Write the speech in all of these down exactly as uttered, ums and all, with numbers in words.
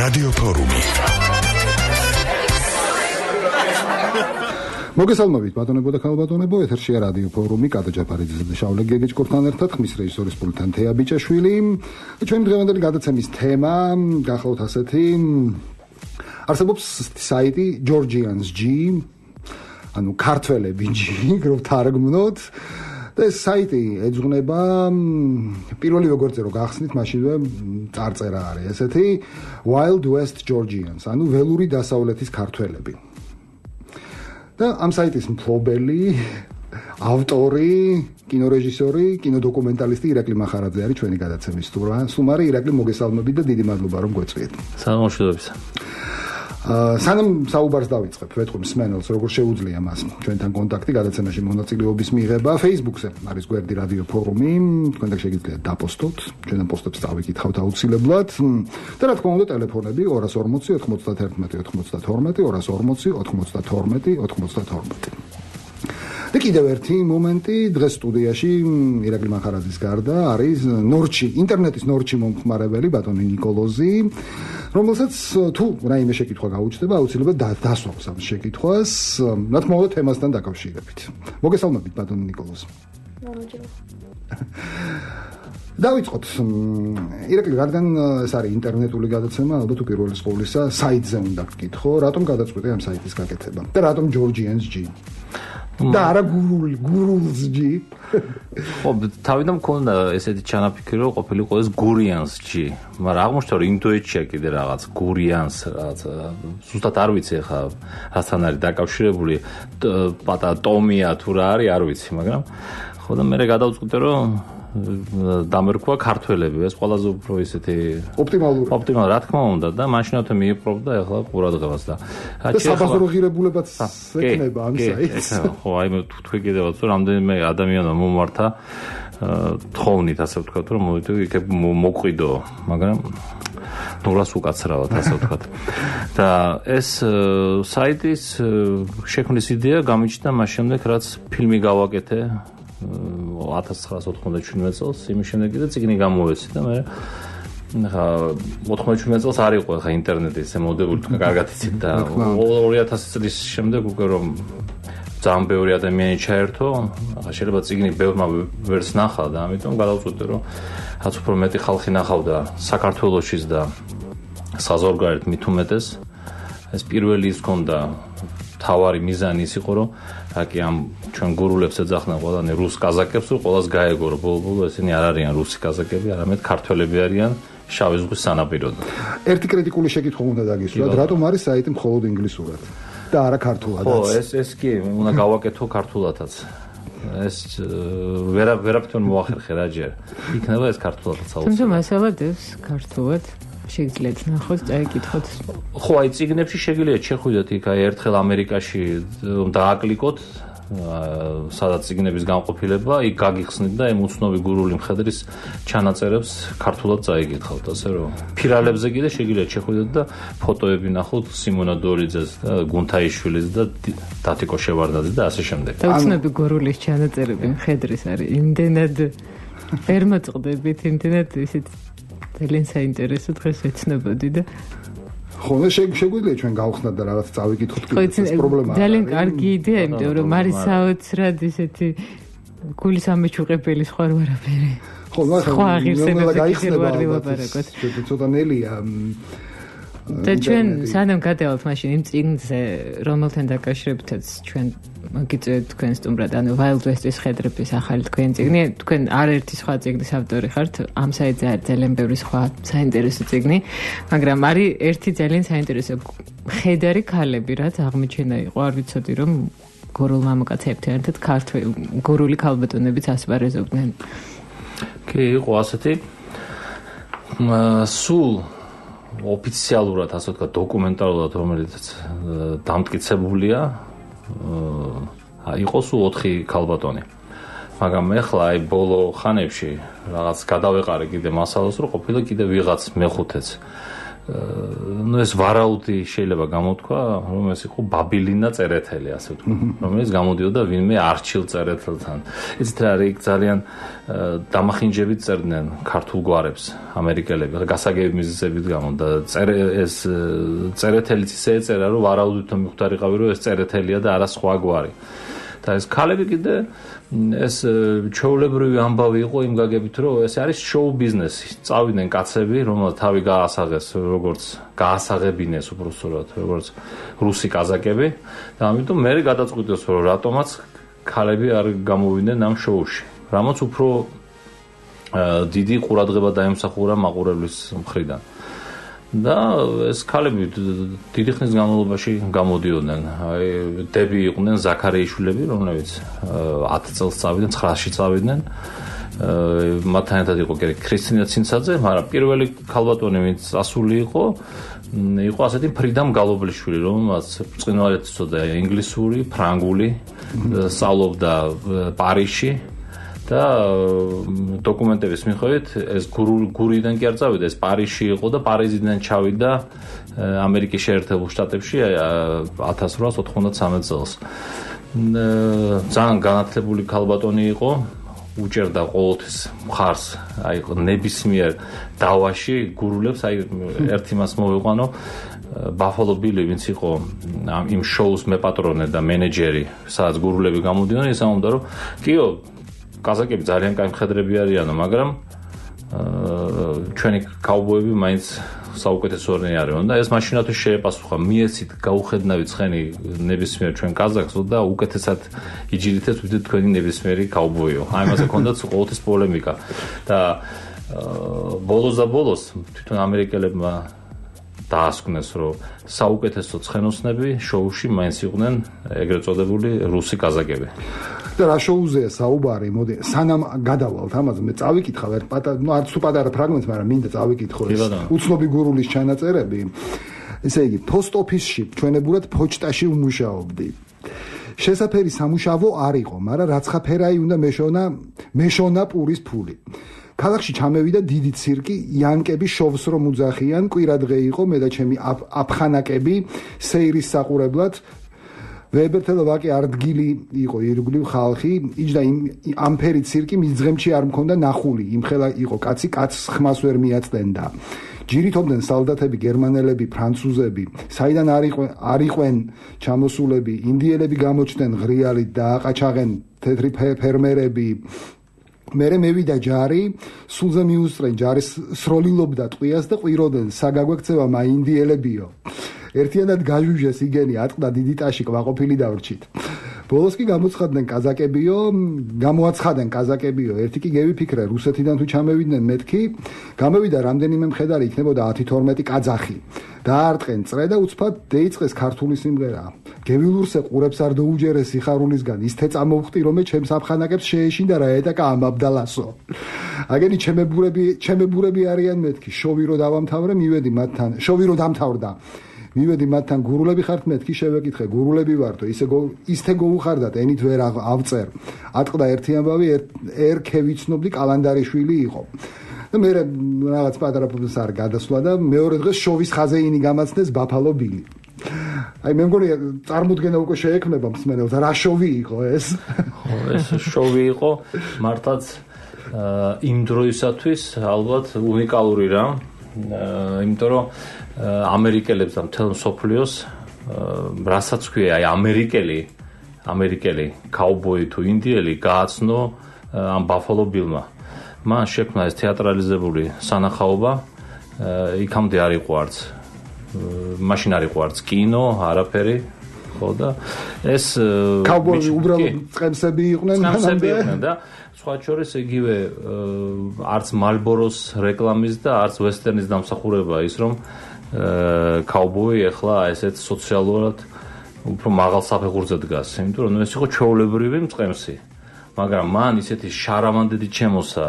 რადიო ფორუმი. მოგესალმებით ბატონებო და ქალბატონებო, ეთერშია რადიო ფორუმი, კატა ჯაფარიძე და შავლე გეგეჭკორთან ერთად, ხმის რეჟისორის პულტთან თეა ბიჭაშვილი. ჩვენი დღევანდელი გადაცემის თემა გახლავთ ასეთი. არსებობს საიტი Georgians G, ანუ ქართველები G, რო თარგმნოთ. და ეს საიტი ეძღვნება პირველი როგორც რო გახსნით, მაშინვე წარწერა არის ესეთი Wild West Georgians, ანუ ველური დასავლეთის ქართველები. და ამ საიტის მფლობელი, ავტორი, კინორეჟისორი, კინოდოკუმენტალისტი ირაკლი მახარაძე არის ჩვენი გადაცემის სტუმარი. ირაკლი, მოგესალმებით და დიდი მადლობა რომ გვეწვიეთ. საღამოშობებს. სანამ საუბარს დავიწყებ, ვეთქვი მსმენელს, როგორ შეუძლია მას ჩვენთან კონტაქტი, გადაცემაში მონაწილეობის მიღება. Facebook-ზე არის გვერდი რადიო ფორუმი, თქვენ და შეგიძლიათ დაპოსტოთ, ჩვენთან პოსტებს დავიკითხავთ აუცილებლად. და რა თქმა უნდა, ტელეფონები ორას ორმოცი ოთხმოცდაერთმეტი ოცდათორმეტი, ორას ორმოცი ოთხმოცდათორმეტი ოცდათორმეტი. და კიდევ ერთი მომენტი, დღეს სტუდიაში ირაკლი მახარაძის გარდა არის ნორჩი, ინტერნეტის ნორჩი მომხმარებელი ბატონი ნიკოლოზი, რომელსაც თუ რაიმე შეკითხვა გაუჩნდება, აუცილებლად დასვავს ამ შეკითხვას, რა თქმა უნდა თემასთან დაკავშირებით. მოგესალმებით ბატონი ნიკოლოზი. დავიწყოთ. ირაკლი, რადგან ეს არის ინტერნეტული გადაცემა, ალბათ უპირველეს ყოვლისა საიტზე უნდა გკითხო, რატომ გადაწყვეტე ამ საიტის გაკეთება და რატომ Georgians G? და არა გურული, გურულს G. ხო, თავიდან მქონდა ესეთი ჩანაფიქრი, რომ ყოფილიყო ეს Gurians G, მაგრამ აღმოჩნდა რომ ინდოეთშია კიდე რაღაც Gurians, რაღაც ზუსტად არ ვიცი ხა რასთან არის დაკავშირებული, პატარა ტომია თუ რა არის, არ ვიცი, მაგრამ ხო და მე გადავწყვიტე რომ დამერქვა ქართველები, ეს ყველაზე უფრო ისეთი ოპტიმალური. ოპტიმალური, რა თქმა უნდა და მაშინათო მიიპყრობდა ახლა ყურადღებას და და საბაზრო ღირებულებაც ექნება ამ საიტს. ხო, აი მე თქვი კიდევაც რომ რამდენიმე ადამიანმა მომართა თხოვნით, ასე ვთქვათ, რომ მოვიდე იქ მოყვიდო, მაგრამ ნურას უკაცრავად, ასე ვთქვათ. და ეს საიტის შექმნის იდეა გამიჩნდა მას შემდეგ, რაც ფილმი გავაკეთე ათას ცხრაასი ოთხმოცდაშვიდმეტ წელს, იმის შემდეგ კიდე წიგნი გამოვეცი და მე ხა ოთხმოცდაშვიდმეტ წელს არ იყო ხა ინტერნეტი ესე მოდებული, თქვა კარგად იცით და ორი ათასი წლის შემდეგ უკვე რომ ძალიან ბევრი ადამიანი ჩაერთო, ხა შეიძლება წიგნი ბევრმა ვერც ნახა და ამიტომ გადავწყვიტე რომ რაც უფრო მეტი ხალხი ნახავდა საქართველოშიც და საზღვარგარეთ მით უმეტეს, ეს პირველი ის ჰქონდა თავარი მიზანი ის იყო რომ აკი ამ ჩვენ გურულებს ეძახდნენ ყველანი რუს კაზაკებს, რომ ყველას გაეგო რომ ბოლო-ბოლო ესენი არ არიან რუსი კაზაკები, არამედ ქართველები არიან შავი ზღვის სანაპიროდან. ერთი კრიტიკული შეკითხვა უნდა დაგისვათ, რატომ არის საიტი მხოლოდ ინგლისურად და არა ქართულადაც? ხო, ეს ეს კი უნდა გავაკეთო ქართულადაც. ეს ვერა ვერაფრთან მოახერხე რა ჯერ. იქნება ეს ქართულადაც აუცილებლად. თუმცა მასალადებს ქართულად შეგიძლიათ ნახოთ, წაიკითხოთ. ხო, აი წიგნებში შეგიძლიათ შეხვიდეთ იქ აი ერთხელ ამერიკაში დააკლიკოთ სადაც წიგნების განყოფილება, იქ გაგიხსნით და ამ უცნობი გურული მხედრის ჩანაწერებს ქართულად წაიკითხავთ, ასე რომ ფირალებზე კიდე შეგიძლიათ შეხვიდეთ და ფოტოები ნახოთ სიმონა დორიძეს და გუნთაიშვილის და დათიკო შევარდაძის და ასე შემდეგ. და უცნობი გურულის ჩანაწერები მხედრის არის იმდენად ვერ მოწყდებით, იმდენად ისეთ ძალიან საინტერესო დღეს ეცნობოდი და ხო, და შეგვიძლია ჩვენ გავხსნათ და რაღაც წავიკითხოთ ეს პრობლემა. ძალიან კარგი იდეა, იმიტომ რომ არის საოცრად ისეთი გულის ამეჩუყებელი სხვა ვარაფერი. ხო, სხვა ღირსებებზე კიდევ არ ვილაპარაკოთ. ცოტა ნელია. და ჩვენ სანამ გადავალთ მაშინ იმ წიგნზე, რომელთან დაკავშირებითაც ჩვენ მოგიწევთ თქვენ სტუმრად, ანუ Wild West-ის ხედრების ახალი თქვენი წიგნი, თქვენ არაერთი სხვა წიგნის ავტორი ხართ, ამ საიტზე არის ძალიან ბევრი სხვა საინტერესო წიგნი, მაგრამ არის ერთი ძალიან საინტერესო ხედარი ქალები, რაც აღმოჩენა იყო, არ ვიცოდი რომ გურულ მამაკაცებთან ერთად ქართველი გურული ქალბატონებიც ასპარეზობდნენ. კი, იყო ასეთი სულ ოფიციალურად, ასე ვთქვათ, დოკუმენტალურად, რომელიც დამტკიცებულია, იყო სულ ოთხი ქალბატონი. მაგრამ ეხლა აი ბოლო ხანებში რაღაც გადავეყარე კიდე მასალას, რომ ყოფილა კიდე ვიღაც მეხუთეც. ну ეს ვარაუდი შეიძლება გამოთქვა, რომ ეს იყო ბაბილინა წერეთელი, ასე ვთქვა, რომელიც გამოდიოდა ვინმე არჩილ წერეთელთან. იცით რა არის, ძალიან დამახინჯებით წერდნენ ქართულ გვარებს ამერიკელები, გასაგები მიზეზებით გამო და ეს წერეთელიც ისე ეწერა, რომ ვარაუდითო მიხვდარიყავი, რომ ეს წერეთელია და არა სხვა გვარი. და ეს ქალები კიდე ეს ჩვეულებრივი ამბავი იყო იმ გაგებით, რომ ეს არის შოუ ბიზნესი. წავიდნენ კაცები, რომელთა თავი გაასაღეს, როგორც გაასაღებინეს უბრალოდ, როგორც რუსი კაზაკები და ამიტომ მე გადაწყვიტეს, რომ რატომაც ქალები არ გამოვიდნენ ამ შოუში. რამაც უფრო დიდი ყურადღება დაემსახურა მაყურებლის მხრიდან. და ეს ქალები დიდი ხნის განმავლობაში გამოდიოდნენ. აი დები იყვნენ ზაქარიაშვილები, რომლებიც ათი წელს წავიდნენ, ცხრაში წავიდნენ. მათთან ერთად იყო ქრისტინა ცინცაძე, მაგრამ პირველი ქალბატონი, ვინც ასული იყო, იყო ასეთი ფრიდამ გალობლიშვილი, რომელმაც ბრწყინვალედ იცოდა ინგლისური, ფრანგული, სწავლობდა პარიზში. და დოკუმენტების მიხედვით ეს გურიდან კი არ წავიდა, ეს პარიზში იყო და პარიზიდან ჩავიდა ამერიკის შეერთებულ შტატებში ათას რვაას ოთხმოცდამეტ წელს. ძალიან განათლებული ქალბატონი იყო, უჭერდა ყოველთვის მხარს, აი ნებისმიერ დავაში გურულებს, აი ერთი მას მოვიყვანო ბაფალო ბილი, ვინც იყო იმ შოუს მეპატრონე და მენეჯერი, სადაც გურულები გამოდიოდნენ, ის ამბობდა, რომ კიო კაზაკები ძალიან კაი მხედრები არიანო, მაგრამ ჩვენი კაუბოები მაინც საუკეთესოები არიან და ეს მაშინათვე შეეპასუხა, მიეცით გაუხედნავი ცხენი ნებისმიერ ჩვენ კაზაკს და უკეთესად იჯირითეთ ვიდრე თქვენი ნებისმიერი კაუბოიო. აი მასე ქონდათ ყოველთვის პოლემიკა და ბოლოს და ბოლოს თვითონ ამერიკელებმა დაასკვნეს, რომ საუკეთესო ცხენოსნები შოუში მაინც იყვნენ ეგრეთ წოდებული რუსი კაზაკები. და რა შოუზეა საუბარი, მოდი სანამ გადავალთ ამაზე, მე წავიკითხავ ერთ პატარა, ну არც თუ პატარა ფრაგმენტს, მაგრამ მინდა წავიკითხო ეს უცნობი გურულის ჩანაწერები. ესე იგი, post office-ში ჩვენებურად ფოჩტაში ვმუშაობდი. შესაფერი სამუშაო არ იყო, მაგრამ რაცხაფერაი უნდა მეშონა, მეშონა პურის ფული. ქალაქში ჩამევიდა დიდი ცირკი, იანკები შოვს რომ უძახიან, კვირადღე იყო, მე და ჩემი აფხანაკები სეირის საყურებლად. ვებერთელო ვაკი არდგილი იყო ირგვლივ ხალხი, იჯდა ამფერი ცირკი მის ძღემში არ მქონდა ნახული, იმხელა იყო კაცი, კაცს ხმას ვერ მიაწდენდა. ჯირითობდნენ სალდათები, გერმანელები, ფრანცუზები, საიდან არ იყვენ ჩამოსულები, ინდიელები გამოჩნდნენ ღრიალით და აყაჩაღენ თეთრი ფერმერები. მერე მევიდა ჯარი, სულზე მიუსწრენ ჯარის სროლილობდა ტყვიას და ყვიროდნენ, საგაგვექცევა მაინდიელებიო. ერთიანად გაჟუჟეს იგენი, ატყდა დიდი ტაში ყვაყოფილი დავრჩით. ბოლოს კი გამოცხადდნენ კაზაკებიო, გამოაცხადენ კაზაკებიო, ერთი კი გევიფიქრე, რუსეთიდან თუ ჩამევიდნენ მეთქი, გამოვიდა რამდენიმე მხედარი, იქნებოდა ათი თორმეტი კაძახი. დაარტყენ წრე და უცბად დაიწყეს ქართული სიმღერა. გევილურსე ყურებს არ დაუჯერეს სიხარულისგან, ისთე წამოვხტი, რომ ჩემს აფხანაკებს შეეშინდა რა ეტაკა ამ აბდალასო. აგენი ჩემებურები, ჩემებურები არიან მეთქი, შოვი რო დავამთავრე, მივედი მათთან, შოვი რო დამთავრდა. მივედი მათთან, გურულები ხართ, მეთქი შევეკითხე, გურულები ვართო, ისე ისთე გოუხარდათ, ენით ვერ ავწერ. ატყდა ერთი ამბავი, ერქე ვიცნობდი კალანდარიშვილი იყო. და მე რაღაც პატარა პროფესორ არ გადასვლა და მეორე დღეს შოვის ხაზეინი გამაცნეს ბაფალო ბილი. აი მე მგონი წარმოდგენა უკვე შეექმნება მსმენელს, რა შოვი იყო ეს? ხო, ეს შოვი იყო მართლაც იმ დროისათვის ალბათ უნიკალური რა. იმიტომ რომ ამერიკელებს და მთელ მსოფლიოს რასაც ქვია, აი ამერიკელი, ამერიკელი კაუბოი თუ ინდიელი გააცნო ამ ბაფალო ბილმა. მან შექმნა ეს თეატრალიზებული სანახაობა, იქამდე არ იყო არც მაშინ არ იყო არც კინო, არაფერი, ხო და ეს კაუბოი უბრალოდ წემსები იყვნენ მანამდე და სხვა შორის იგივე არც მალბოროს რეკლამის და არც ვესტერნის დამსახურება ის რომ კაუბოი ახლა ესეთ სოციალურად უფრო მაღალ საფეხურზე დგას, იმიტომ რომ ეს იყო ჩვეულებრივი მწყემსი. მაგრამ მან ისეთი შარავანდედი ჩემოსა,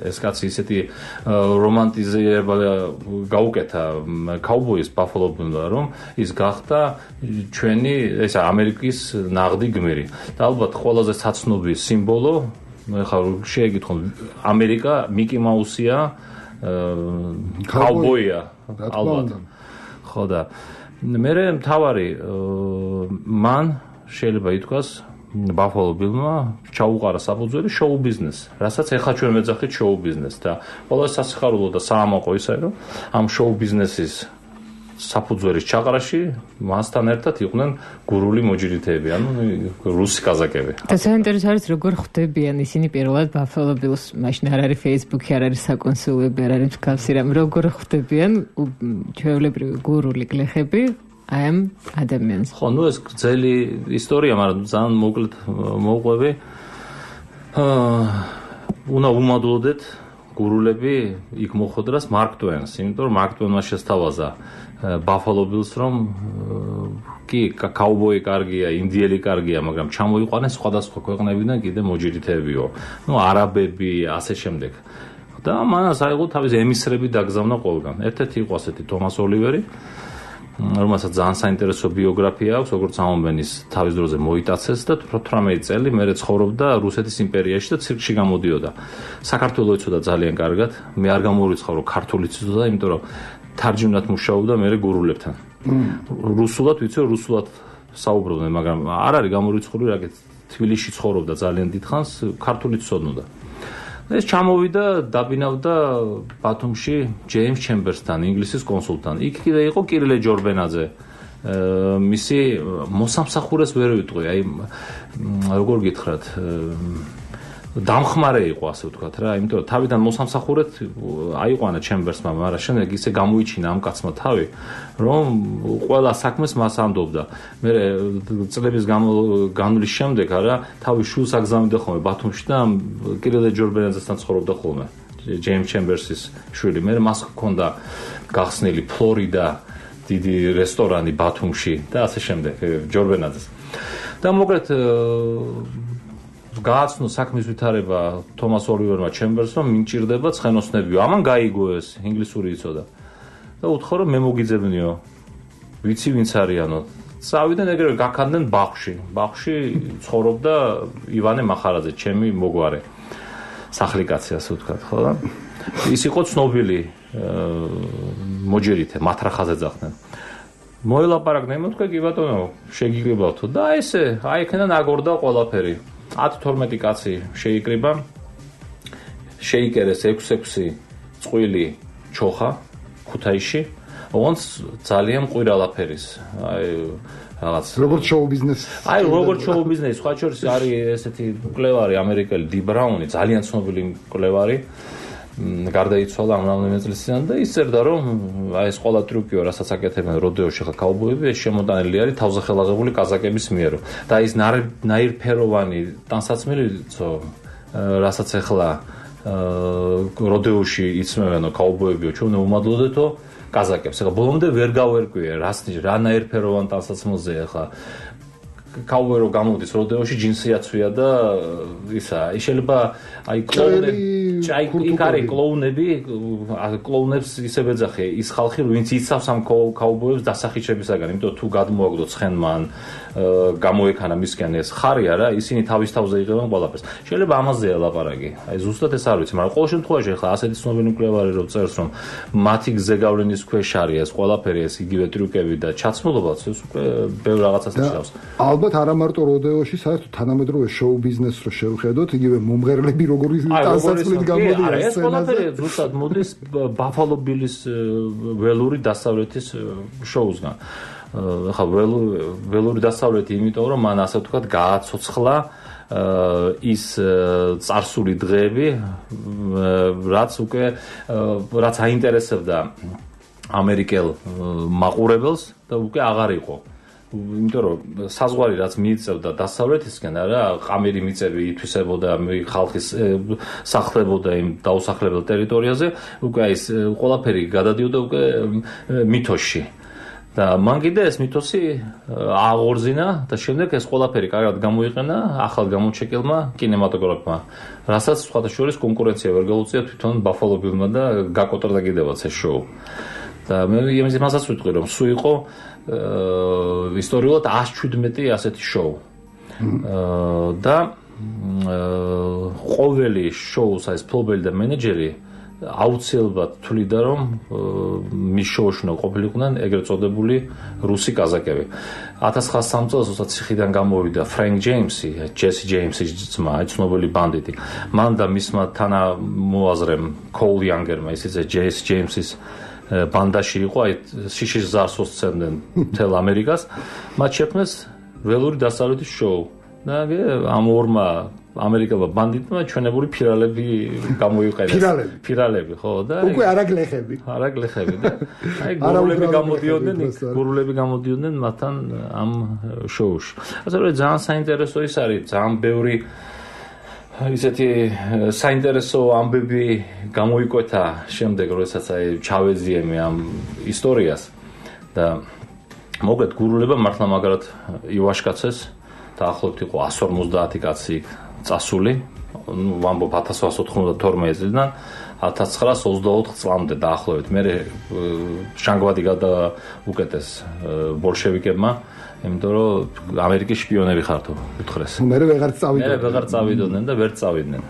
ეს კაცი ისეთი რომანტიზება გაუკეთა კაუბოის ბაფალო ბილმა, რომ ის გახდა ჩვენი ეს ამერიკის ნაღდი გმირი. და ალბათ ყველაზე საცნობი სიმბოლო, ეხლა შეეკითხო, ამერიკა მიკი მაუსია კაუბოია ალბათ ხო და მე მთავარი მან შეიძლება ითქვას Buffalo Bill-მა ჩაუყარა საფუძველი შოუ ბიზნესს, რასაც ეხლა ჩვენ მეძახით შოუ ბიზნესს და ყველა სასიხარულო და საამაყო ისე რომ ამ შოუ ბიზნესის საფუძველის ჩაყრაში მასთან ერთად იყვნენ გურული მოჯილითეები, ანუ რუსი კაზაკები. და საინტერესო არის როგორ ხვდებიან ისინი პირველად Buffalo Bills-ს, მაშინ არ არის Facebook-ი, არ არის საკონსულები, არ არის მსგავსი რამ, როგორ ხვდებიან ჩვეულებრივი გურული გლეხები აი ამ ადამიანს. ხო, ნუ ეს გრძელი ისტორია, მაგრამ ძალიან მოკლედ მოვყვები. აა უნდა უმადლოდეთ გურულები იქ მოხვდრას მარკ ტვენს, იმიტომ რომ მარკ ტვენმა შესთავაზა Buffalo Bills რომ კი კაუბოი კარგია, ინდიელი კარგია, მაგრამ ჩამოიყვანეს სხვადასხვა ქვეყნებიდან კიდე მოჯილითეებიო. ნუ არაბები, ასე შემდეგ. და მანას აიღო თავის ემისრები დაგზავნა ყველგან. ერთ-ერთი იყო ასეთი თომას ოლივერი, რომელსაც ძალიან საინტერესო ბიოგრაფია აქვს, როგორც ამბობენ ის თავის დროზე მოიტაცეს და ათორმეტი წელი მერე ცხოვრობდა რუსეთის იმპერიაში და ცირკში გამოდიოდა. საქართველოს იცოდა ძალიან კარგად, მე არ გამოვიცხოვრო ქართულიც იცოდა, იმიტომ რომ თარჯიმნად მუშაობდა მერე გურულებთან. რუსულად ვიცი, რუსულად საუბრობდნენ, მაგრამ არ არის გამორიცხული, რაგეთ თბილისში ცხოვრობდა ძალიან დიდხანს, ქართულიც ცოდნოდა. ეს ჩამოვიდა, დაბინავდა ბათუმში ჯეიმს ჩემბერსთან, ინგლისის კონსულთან. იქ კიდე იყო კირილე ჯორბენაძე. მისი მოსამსახურეს ვერ ვიტყვი, აი როგორ გითხრათ, დამხმარე იყო, ასე ვთქვათ რა, იმიტომ რომ თავიდან მოსამსახურეთ აიყვანა ჩემბერსმა, მაგრამ შემდეგ ისე გამოიჩინა ამ კაცმა თავი, რომ ყველა საქმეს მას ამდობდა. მე წლების განმავლობის შემდეგ არა, თავის შულს აგზავნიდა ხოლმე ბათუმში და კირილე ჯორბენაძესთან ცხოვრობდა ხოლმე. ჯეიმს ჩემბერსის შვილი. მე მას ჰქონდა გახსნილი ფლორიდა დიდი რესტორანი ბათუმში და ასე შემდეგ ჯორბენაძეს. და მოკლედ გააცნო საქმის ვითარება თომას ოლივერმა ჩემბერსმა, მინჭირდება ცხენოსნებიო. ამან გაიგო ეს, ინგლისური იცოდა. და უთხოვა რომ მე მოგიძებნიო. ვიცი ვინც არიანო. წავიდნენ ეგრევე გაქანდნენ ბაღში. ბაღში ცხოვრობდა ივანე მახარაძე, ჩემი მოგვარე. სახლიკაცი ასე ვთქვათ, ხო და ის იყო ცნობილი მოჯერითე, მათრახაზე ძახდნენ. მოელაპარაკდნენ, მე თქვა კი ბატონო, შეგიკრიბავთო და ესე, აი იქიდან აგორდა ყველაფერი. ათი თორმეტი კაცი შეიკრიბა, შეიკერეს ექვსი ექვსი წყვილი ჩოხა ქუთაისში, ოღონდ ძალიან მყირალაფერის. აი რაღაც როგორც შოუ ბიზნესი. აი როგორც შოუ ბიზნესი, სხვა შორის არის ესეთი მკვლევარი ამერიკელი დი ბრაუნი, ძალიან ცნობილი მკვლევარი. გარდაიცვალა ამ რამდენიმე წლის წინ და ის წერდა რომ აი ეს ყველა ტრიუკიო, რასაც აკეთებენ როდეოში ხა კაუბოები, ეს შემოდანილი არის თავზეხელაღებული კაზაკების მიერ. და ის ნაირფეროვანი ტანსაცმელიცო, რასაც ახლა როდეოში იცმევენო კაუბოებიო, ჩვენ უმადლოდეთო კაზაკებს. ახლა ბოლომდე ვერ გავერკვიე, რას რა ნაირფეროვან ტანსაცმელზე ახლა კაუბოი რო გამოდის როდეოში ჯინსი აცვია და ისა, ის შეიძლება აი კლოუნები, აი იქ არის კლოუნები, კლოუნებს ისე ვეძახე, ის ხალხი ვინც იცავს ამ კაუბოებს დასახიჩებისაგან, იმიტომ თუ გადმოაგდო ცხენმან, გამოექანა მისგან ეს ხარი არა, ისინი თავის თავზე იღებენ ყველაფერს. შეიძლება ამაზეა ლაპარაკი. აი ზუსტად ეს არ ვიცი, მაგრამ ყოველ შემთხვევაში ახლა ასეთი ცნობილი მკვლევარი რო წერს, რომ მათი გზეგავლენის ქვეშ არის ეს ყველაფერი, ეს იგივე ტრიუკები და ჩაცმულობაც, ეს უკვე ბევრ რაღაცას ნიშნავს. ალბათ არა მარტო როდეოში, საერთოდ თანამედროვე შოუ ბიზნესს რო შევხედოთ, იგივე მომღერლები როგორი დასაცვლით გამოდიან ეს ყველაფერი ზუსტად მოდის Buffalo Bills ველური დასავლეთის შოუსგან. ახლა ველური დასავლეთი, იმიტომ რომ მან ასე ვთქვათ გააცოცხლა ის წარსული დღეები, რაც უკვე რაც აინტერესებდა ამერიკელ მაყურებელს და უკვე აღარ იყო. იმიტომ რომ საზღვარი რაც მიიწევდა დასავლეთისკენ, არა, ყამირი მიწები ითვისებოდა ხალხის სახლებოდა იმ დაუსახლებელ ტერიტორიაზე, უკვე ის ყველაფერი გადადიოდა უკვე მითოში. და მან კიდე ეს მითოსი აღორძინა და შემდეგ ეს ყველაფერი კარგად გამოიყენა ახალ გამოჩეკილმა კინემატოგრაფმა, რასაც სხვათა შორის კონკურენცია ვერ გაუწია თვითონ Buffalo Bill-მა და გაკოტრდა კიდევაც ეს შოუ. და მე იმასაც ვიტყვი რომ სულ იყო ისტორიულად ათს შვიდმეტი ასეთი შოუ. და ყოველი შოუს ეს ფლობელი და მენეჯერი აუცილებლად თვლიდა რომ მის შოუში უნდა ყოფილიყვნენ ეგრეთ წოდებული რუსი კაზაკები. ათას ცხრაასი სამი წელს როცა ციხიდან გამოვიდა ფრენკ ჯეიმსი, ჯესი ჯეიმსის ძმა, ცნობილი ბანდიტი. მან და მისმა თანამოაზრემ კოულ იანგერმა, ისიც ჯესი ჯეიმსის ბანდაში იყო, აი შიშის ზარს უსცემდნენ მთელ ამერიკას. მათ შექმნეს ველური დასავლეთის შოუ. და ამ ორმა ამერიკელმა ბანდიტმა ჩვენებული ფირალები გამოიყენეს. ფირალები, ფირალები, ხო, და უკვე არაგლეხები. არაგლეხები და აი გურულები გამოდიოდნენ, გურულები გამოდიოდნენ მათთან ამ შოუში. ასე რომ ძალიან საინტერესო ის არის, ძალიან ბევრი ისეთი საინტერესო ამბები გამოიკვეთა შემდეგ, როდესაც აი ჩავეძიემი ამ ისტორიას და მოგეთ გურულება მართლა მაგრად ივაშკაცეს. დაახლოებით იყო εκατს ორმოცდაათი კაცი წასული, ვამბობ ათას ოთხსა ოცდათორმეტი წლიდან ათას ცხრაასი ოცდაოთხ წლამდე დაახლოებით. მე შანგვადი გადაუკეტეს ბოლშევიკებმა, იმიტომ რომ ამერიკის შპიონები ხართო უთხრეს. მე ვეღარ წავიდოდნენ. მე ვეღარ წავიდოდნენ და ვერ წავიდნენ.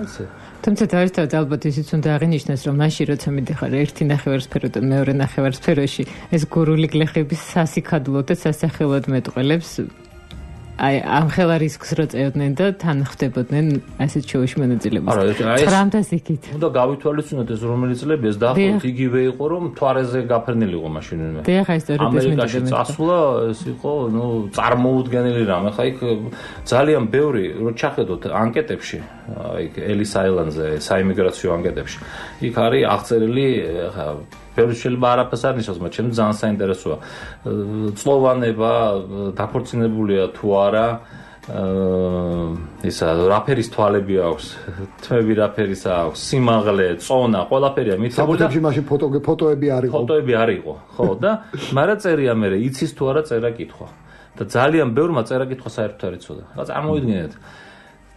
ასე. თუმცა დაერთად ალბათ ისიც უნდა აღინიშნოს, რომ მაშინ როცა მიდიხარ ერთი ნახევარსფეროდან მეორე ნახევარსფეროში, ეს გურული გლეხების სასიქადლოდ და სასახელოდ მეტყველებს აი ამ ხელა რისკს რო წევდნენ და თან ხდებოდნენ ასეთ შოუში მონაწილეობას. ცხრამეტას იქით. უნდა გავითვალისწინოთ ეს რომელი წლები ეს დაახლოებით იგივე იყო რომ თვარეზე გაფერნილი იყო მაშინვე. დიახ, ეს ისტორია ამერიკაში წასვლა ეს იყო, ნუ წარმოუდგენელი რამ. ახლა იქ ძალიან ბევრი რო ჩახედოთ ანკეტებში, აი ელის აილანდზე, საიმიგრაციო ანკეტებში. იქ არის აღწერილი ახლა ბევრი შეიძლება არაფერს არ ნიშნავს, მაგრამ ჩემს ძალიან საინტერესოა. წლოვანება დაქორწინებულია თუ არა, ისა რაფერის თვალები აქვს, თმები რაფერის აქვს, სიმაღლე, წონა, ყველაფერია მითებული. საბუთებში მაშინ ფოტო ფოტოები არ იყო. ფოტოები არ იყო, ხო და მაგრამ წერია მე იცის თუ არა წერა-კითხვა. და ძალიან ბევრმა წერა-კითხვა საერთოდ არ იცოდა. რა წარმოიდგინეთ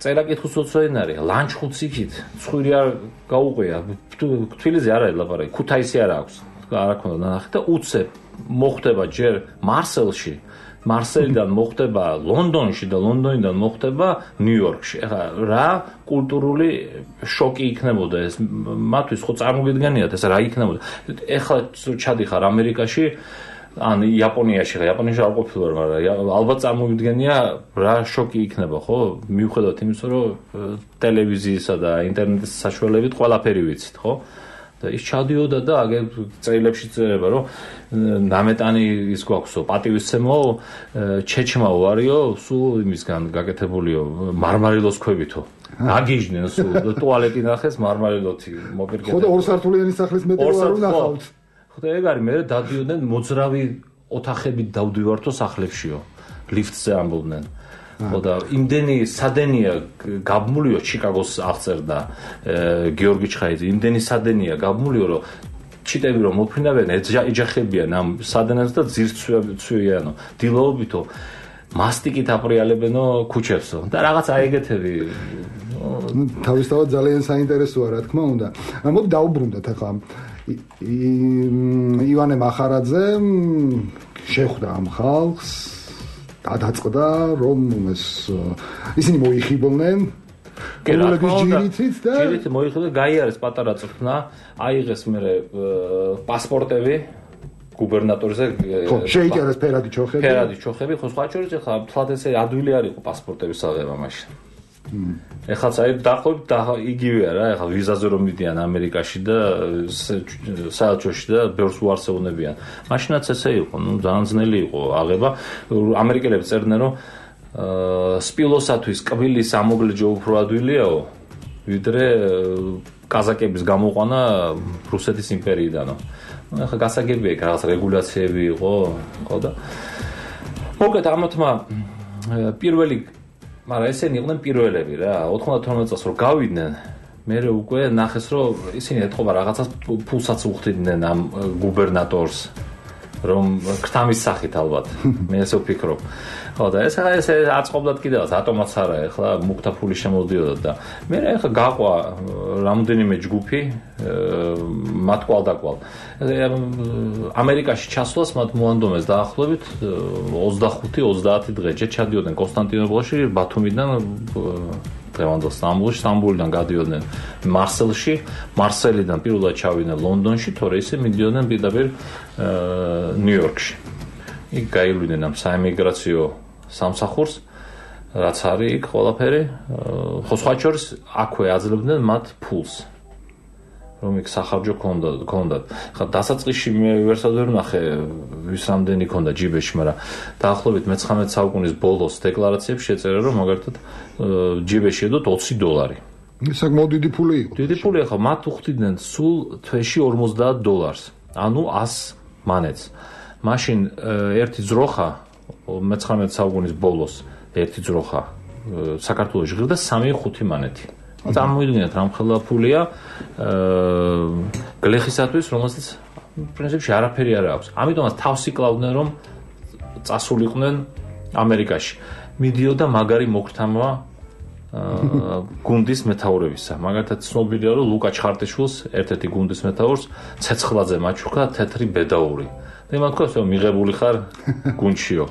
წერა-კითხვის უცოდნი არის, ლანჩხუთს იქით, ცხვირი არ გაუყვია, თბილისზე არ არის ლაპარაკი, ქუთაისი არ აქვს, არ აქვს ნახე და უცებ მოხდება ჯერ მარსელში, მარსელიდან მოხდება ლონდონში და ლონდონიდან მოხდება ნიუ-იორკში. ეხლა რა კულტურული შოკი იქნებოდა ეს მათთვის, ხო წარმოგიდგენიათ ეს რა იქნებოდა. ეხლა ჩადიხარ ამერიკაში ან იაპონიაში, იაპონიაში არ ყოფილვარ, მაგრამ ალბათ წარმოვიდგენია რა შოკი იქნება, ხო? მიუხედავად იმისა, რომ ტელევიზიისა და ინტერნეტის საშუალებით ყველაფერი ვიცით, ხო? და ის ჩადიოდა და აგერ წერილებში წერება, რომ ნამეტანი ის გვაქვსო, პატივისცემო ჩეჩმა ვარიო, სულ იმისგან გაკეთებულიო მარმარილოს ქვებითო. აგიჟდნენ სულ ტუალეტი ნახეს მარმარილოთი მოპირკეთე. ხო და ორსართულიანი სახლის მეტრო არ უნახავთ. ხოდა ეგ არის მე დადიოდნენ მოძრავი ოთახებით დავდივართო სახლებშიო ლიფტზე ამბობდნენ. ხო და იმდენი სადენია გაბმულიო ჩიკაგოს აღწერდა გიორგი ჩხაიძე, იმდენი სადენია გაბმულიო რომ ჩიტები რომ მოფრინავენ ეჯახებიან ამ სადენას და ძირს ცვიიანო დილოობითო მასტიკით აპრიალებენო ქუჩებსო და რაღაც აიგეთები. თავისთავად ძალიან საინტერესოა რა თქმა უნდა. მოდი დაუბრუნდეთ ახლა ივანე მახარაძე შეხვდა ამ ხალხს და დაწყდა რომ ეს ისინი მოიხიბლნენ გულების ჯირითით და ჯირით მოიხიბლე გაიარეს პატარა წვრთნა აიღეს მე პასპორტები გუბერნატორზე შეიჭერეს ფერადი ჩოხები ფერადი ჩოხები ხო სხვა შორის ახლა თლად ესე ადვილი არ იყო პასპორტების აღება მაშინ ეხლა წაი დაახლოებით იგივეა რა ეხლა ვიზაზე რომ მიდიან ამერიკაში და საელჩოში და ბევრს უარსებუნებიან მაშინაც ესე იყო ნუ ძალიან ძნელი იყო აღება ამერიკელები წერდნენ რომ სპილოსათვის კბილის ამოგლეჯო უფრო ადვილიაო ვიდრე კაზაკების გამოყვანა რუსეთის იმპერიიდანო ახლა გასაგებია იქ რაღაც რეგულაციები იყო ხო და მოგეთ ამათმა პირველი მაგრამ ესენი იყვნენ პირველები რა ოთხმოცდათორმეტ წელს რომ გავიდნენ მე უკვე ნახეს რომ ისინი ეთყობა რაღაცას ფულსაც უხდიდნენ ამ გუბერნატორს რომ ქრთამის სახით ალბათ მე ესე ვფიქრობ ხო და ეს ახლა ესე აწყობდათ კიდევაც ატომაც არა ახლა მუქთა ფული შემოდიოდა და მე ახლა გაყვა რამდენიმე ჯგუფი მათ კვალდაკვალ ამერიკაში ჩასვლას მათ მოანდომეს დაახლოებით ოცდახუთი ოცდაათი დღე ჯერ ჩადიოდნენ კონსტანტინოპოლში ბათუმიდან დღევანდელ სტამბულში სტამბულიდან გადიოდნენ მარსელში, მარსელიდან პირველად ჩავიდნენ ლონდონში, თორე ისე მიდიოდნენ პირდაპირ ნიუ-იორკში. იქ გაივლინდნენ ამ საემიგრაციო სამსახურს, რაც არის იქ ყველაფერი, ხო სხვა შორის აქვე აძლევდნენ მათ ფულს. რომ იქ სახარჯო ქონდათ. ხა დასაწყისში მე ვერსად ვერ ნახე ვის რამდენი ქონდა ჯიბეში, მაგრამ დაახლოებით მეცხრამეტე საუკუნის ბოლოს დეკლარაციებში შეწერა რომ მაგალითად ჯიბეში ედოთ ოცი დოლარი. ეს საკმაოდ დიდი ფული იყო. დიდი ფული ხო, მათ უხდიდნენ სულ თვეში ორმოცდაათ დოლარს. ანუ ას მანეთს. მაშინ ერთი ძროხა მეცხრამეტე საუკუნის ბოლოს ერთი ძროხა საქართველოში ღირდა სამი ხუთი მანეთი. წარმოიდგინეთ რა მხოლოდ ფულია გლეხისათვის, რომელსაც პრინციპში არაფერი არ აქვს. ამიტომაც თავს იკლავდნენ რომ წასულიყვნენ ამერიკაში. მიდიოდა მაგარი მოქრთამა გუნდის მეთაურებისა. მაგალითად ცნობილია რომ ლუკა ჩხარტიშვილს ერთ-ერთი გუნდის მეთაურს ცეცხლაძე მაჩუქა თეთრი ბედაური. და იმან თქვა რომ მიღებული ხარ გუნდშიო.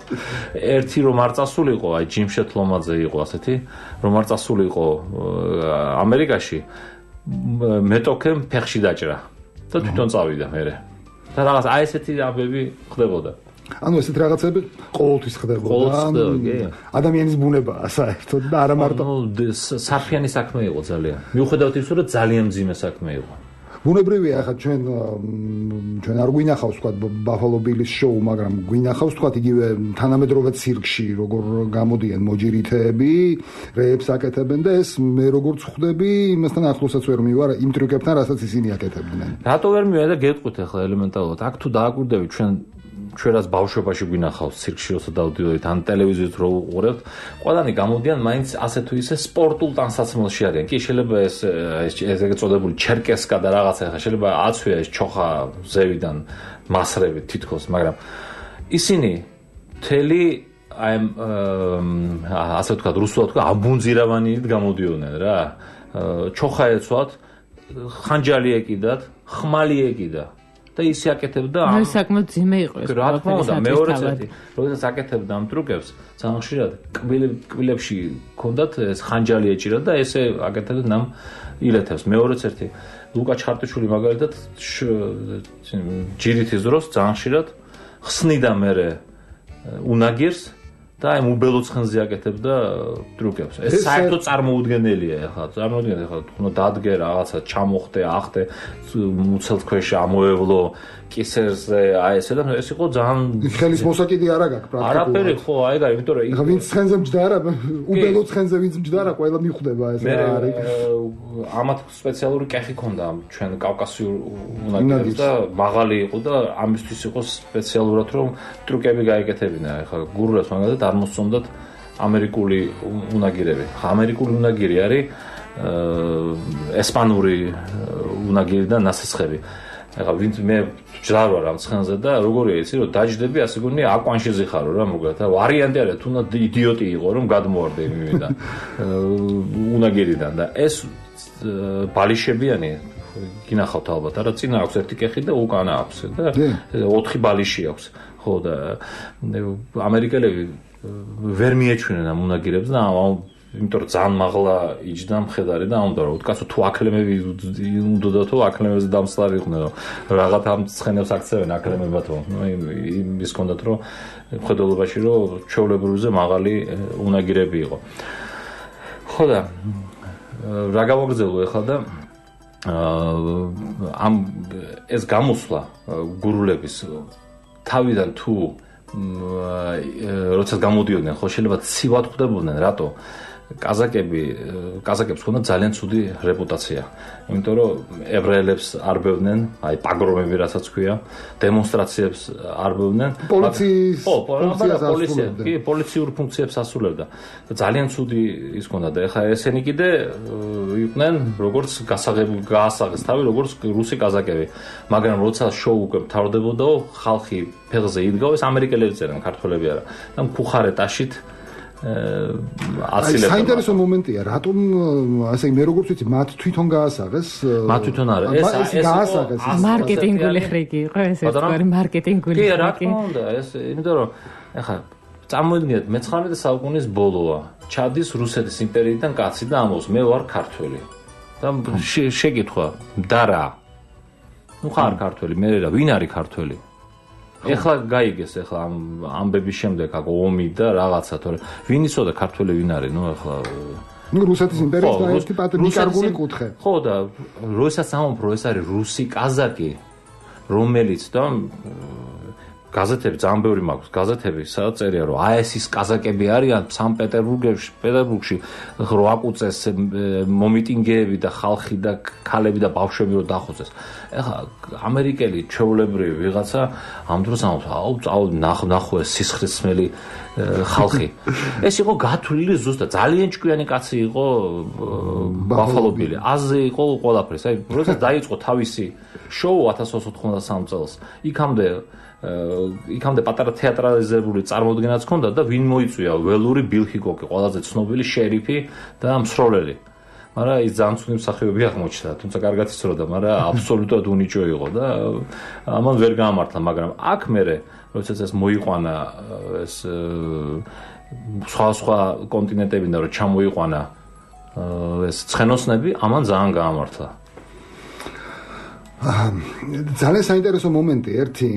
ერთი რომ არ წასულიყო, აი ჯიმშეთ ლომაძე იყო ასეთი, რომ არ წასულიყო ამერიკაში, მეტოქემ ფეხში დაჭრა და თვითონ წავიდა მერე. და რაღაც აი ესეთი აბები ხდებოდა. ანუ ესეთ რაღაცები ყოველთვის ხდებოდა. ადამიანის ბუნებაა საერთოდ და არა მარტო საფიანი საქმე იყო ძალიან. მიუხედავად იმისა, რომ ძალიან მძიმე საქმე იყო. ბუნებრივია, ახლა ჩვენ ჩვენ არ გვინახავს თქვა ბაფალო ბილის შოუ, მაგრამ გვინახავს თქვა იგივე თანამედროვე ცირკში, როგორ გამოდიან მოჯირითეები, რეებს აკეთებენ და ეს მე როგორც ხვდები, იმასთან ახლოსაც ვერ მივარ იმ ტრიუკებთან, რასაც ისინი აკეთებდნენ. რატო ვერ მივარ და გეტყვით ახლა ელემენტარულად, აქ თუ დააკვირდებით ჩვენ ჩვენაც ბავშვობაში გვინახავს ცირკში როცა დავდივართ ან ტელევიზიით რო უყურებთ, ყველანი გამოდიან მაინც ასე თუ ისე სპორტულ ტანსაცმელში არიან. კი შეიძლება ეს ეს ეგრეთ წოდებული ჩერკესკა და რაღაცა ხა შეიძლება აცვია ეს ჩოხა ზევიდან მასრებით თითქოს, მაგრამ ისინი მთელი აი ასე ვთქვათ რუსულად თქვა აბუნძირავანით გამოდიოდნენ რა. ჩოხა ეცვათ, ხანჯალი ეკიდათ, ხმალი ეკიდა. და ისე აკეთებდა ამ ნუ საკმაოდ ძიმე იყო ეს. რა თქმა უნდა, მეორეც ერთი, როდესაც აკეთებდა ამ ტრუკებს, ძალიან ხშირად კბილებში ჰქონდათ ეს ხანჯალი ეჭირა და ესე აკეთებდა ამ ილეთებს. მეორეც ერთი, ლუკა ჩხარტიშვილი მაგალითად ჯირითის დროს ძალიან ხშირად ხსნიდა მერე უნაგირს და აი უბელო ცხენზე აკეთებდა ტრუკებს. ეს საერთოდ წარმოუდგენელია ახლა. წარმოუდგენელი ახლა თქო დადგე რაღაცა ჩამოხდე, ახდე, მუცელს ქვეშ ამოევლო კისერზე, აი ესე და ეს იყო ძალიან ხელის მოსაკიდი არ აქვს პრაქტიკულად. არაფერი ხო, აი და იმიტომ რომ იქ ვინც ცხენზე მჯდარა, უბელო ცხენზე ვინც მჯდარა, ყველა მიხვდება ეს რა არის. ამათ სპეციალური კეხი ქონდა ჩვენ კავკასიურ უნაგირებს და მაღალი იყო და ამისთვის იყო სპეციალურად რომ ტრუკები გაეკეთებინა. ახლა გურუას მაგალითად არ მოსწონდათ ამერიკული უნაგირები. ხა ამერიკული უნაგირი არის ესპანური უნაგირი და ნასესხები. ახლა ვინც მე ჯდარ ვარ ამ ცხენზე და როგორია იცი რომ დაჯდები ასე გონია აკვანშეზე ხარო რა მოგეთ. ვარიანტი არა თუ იდიოტი იყო რომ გადმოვარდე მივიდა უნაგირიდან და ეს ბალიშებიანი გინახავთ ალბათ არა წინა აქვს ერთი კეხი და უკანა აქვს და ოთხი ბალიში აქვს. ხო და ამერიკელები ვერ მიეჩვენენ ამ უნაგირებს და იმიტომ რომ ძალიან მაღლა იჯდა მხედარი და ამდა რომ უკაცო თუ აკლემები უნდა თუ აკლემებზე დამსლარი იყვნენ რომ რაღაც ამ ცხენებს აქცევენ აკლემებათო. ის კონდათ რომ მხედველობაში რომ ჩვეულებრივზე მაღალი უნაგირები იყო. ხო და რა გავაგრძელო ახლა და ამ ეს გამოსვლა გურულების თავიდან თუ როცა გამოდიოდნენ ხო შეიძლება ცივად ხვდებოდნენ რატო კაზაკები კაზაკებს ჰქონდა ძალიან ცუდი რეპუტაცია. იმიტომ რომ ებრაელებს არბევდნენ, აი პაგრომები რასაც ქვია, დემონსტრაციებს არბევდნენ. პოლიციის პოლიცია, კი, პოლიციურ ფუნქციებს ასრულებდა. ძალიან ცუდი ის ჰქონდა და ეხლა ესენი კიდე იყვნენ როგორც გასაღები გაასაღეს თავი როგორც რუსი კაზაკები. მაგრამ როცა შოუ უკვე მთავრდებოდაო, ხალხი ფეხზე იდგაო, ეს ამერიკელები წერენ, ქართველები არა. და მქუხარ ეტაშით აცილებდა. საინტერესო მომენტია, რატომ ასე მე როგორც ვიცი, მათ თვითონ გაასაღეს. მათ თვითონ არა, ეს ეს გაასაღეს. მარკეტინგული ხრიგი იყო ეს ერთგვარი მარკეტინგული ხრიგი. კი, რა თქმა უნდა, ეს იმიტომ რომ ეხლა წარმოიდგინეთ მეცხრამეტე საუკუნის ბოლოა. ჩადის რუსეთის იმპერიიდან კაცი და ამბობს, მე ვარ ქართველი. და შეკითხვა და რა ნუ ხარ ქართველი მე რა ვინ არის ქართველი ეხლა გაიგეს ეხლა ამ ამბების შემდეგ აქ ომი და რაღაცა თორე ვინ იცოდა ქართველი ვინ არის ნუ ეხლა ნუ რუსეთის იმპერიის და ერთი პატრიკარგული კუთხე ხო და როისაც ამბობ ეს არის რუსი კაზაკი რომელიც და გაზეთები ძალიან ბევრი მაქვს გაზეთები სადაც წერია რომ აი ეს ის კაზაკები არიან სანქტ-პეტერბურგში პეტერბურგში რო აკუწეს მომიტინგეები და ხალხი და ქალები და ბავშვები რო დახოცეს ეხლა ამერიკელი ჩვეულებრივი ვიღაცა ამ დროს ამბობს აუ წავალ ნახო ეს სისხლისმელი ხალხი ეს იყო გათვლილი ზუსტად ძალიან ჭკვიანი კაცი იყო ბაფალო ბილი აზე იყო ყველაფერს აი როდესაც დაიწყო თავისი შოუ ათას ოთხსულ ოთხმოცდასამ წელს იქამდე იქამდე პატარა თეატრალიზებული წარმოდგენაც ჰქონდა და ვინ მოიწვია ველური ბილ ჰიკოკი ყველაზე ცნობილი შერიფი და მსროლელი მაგრამ ის ძალიან ცუდი მსახიობი აღმოჩნდა თუმცა კარგად იცოდა მაგრამ აბსოლუტურად უნიჭო იყო და ამან ვერ გაამართლა მაგრამ აქ მერე როდესაც ეს მოიყვანა ეს სხვა სხვა კონტინენტებიდან რომ ჩამოიყვანა ეს ცხენოსნები ამან ძალიან გაამართლა ძალიან საინტერესო მომენტი ერთი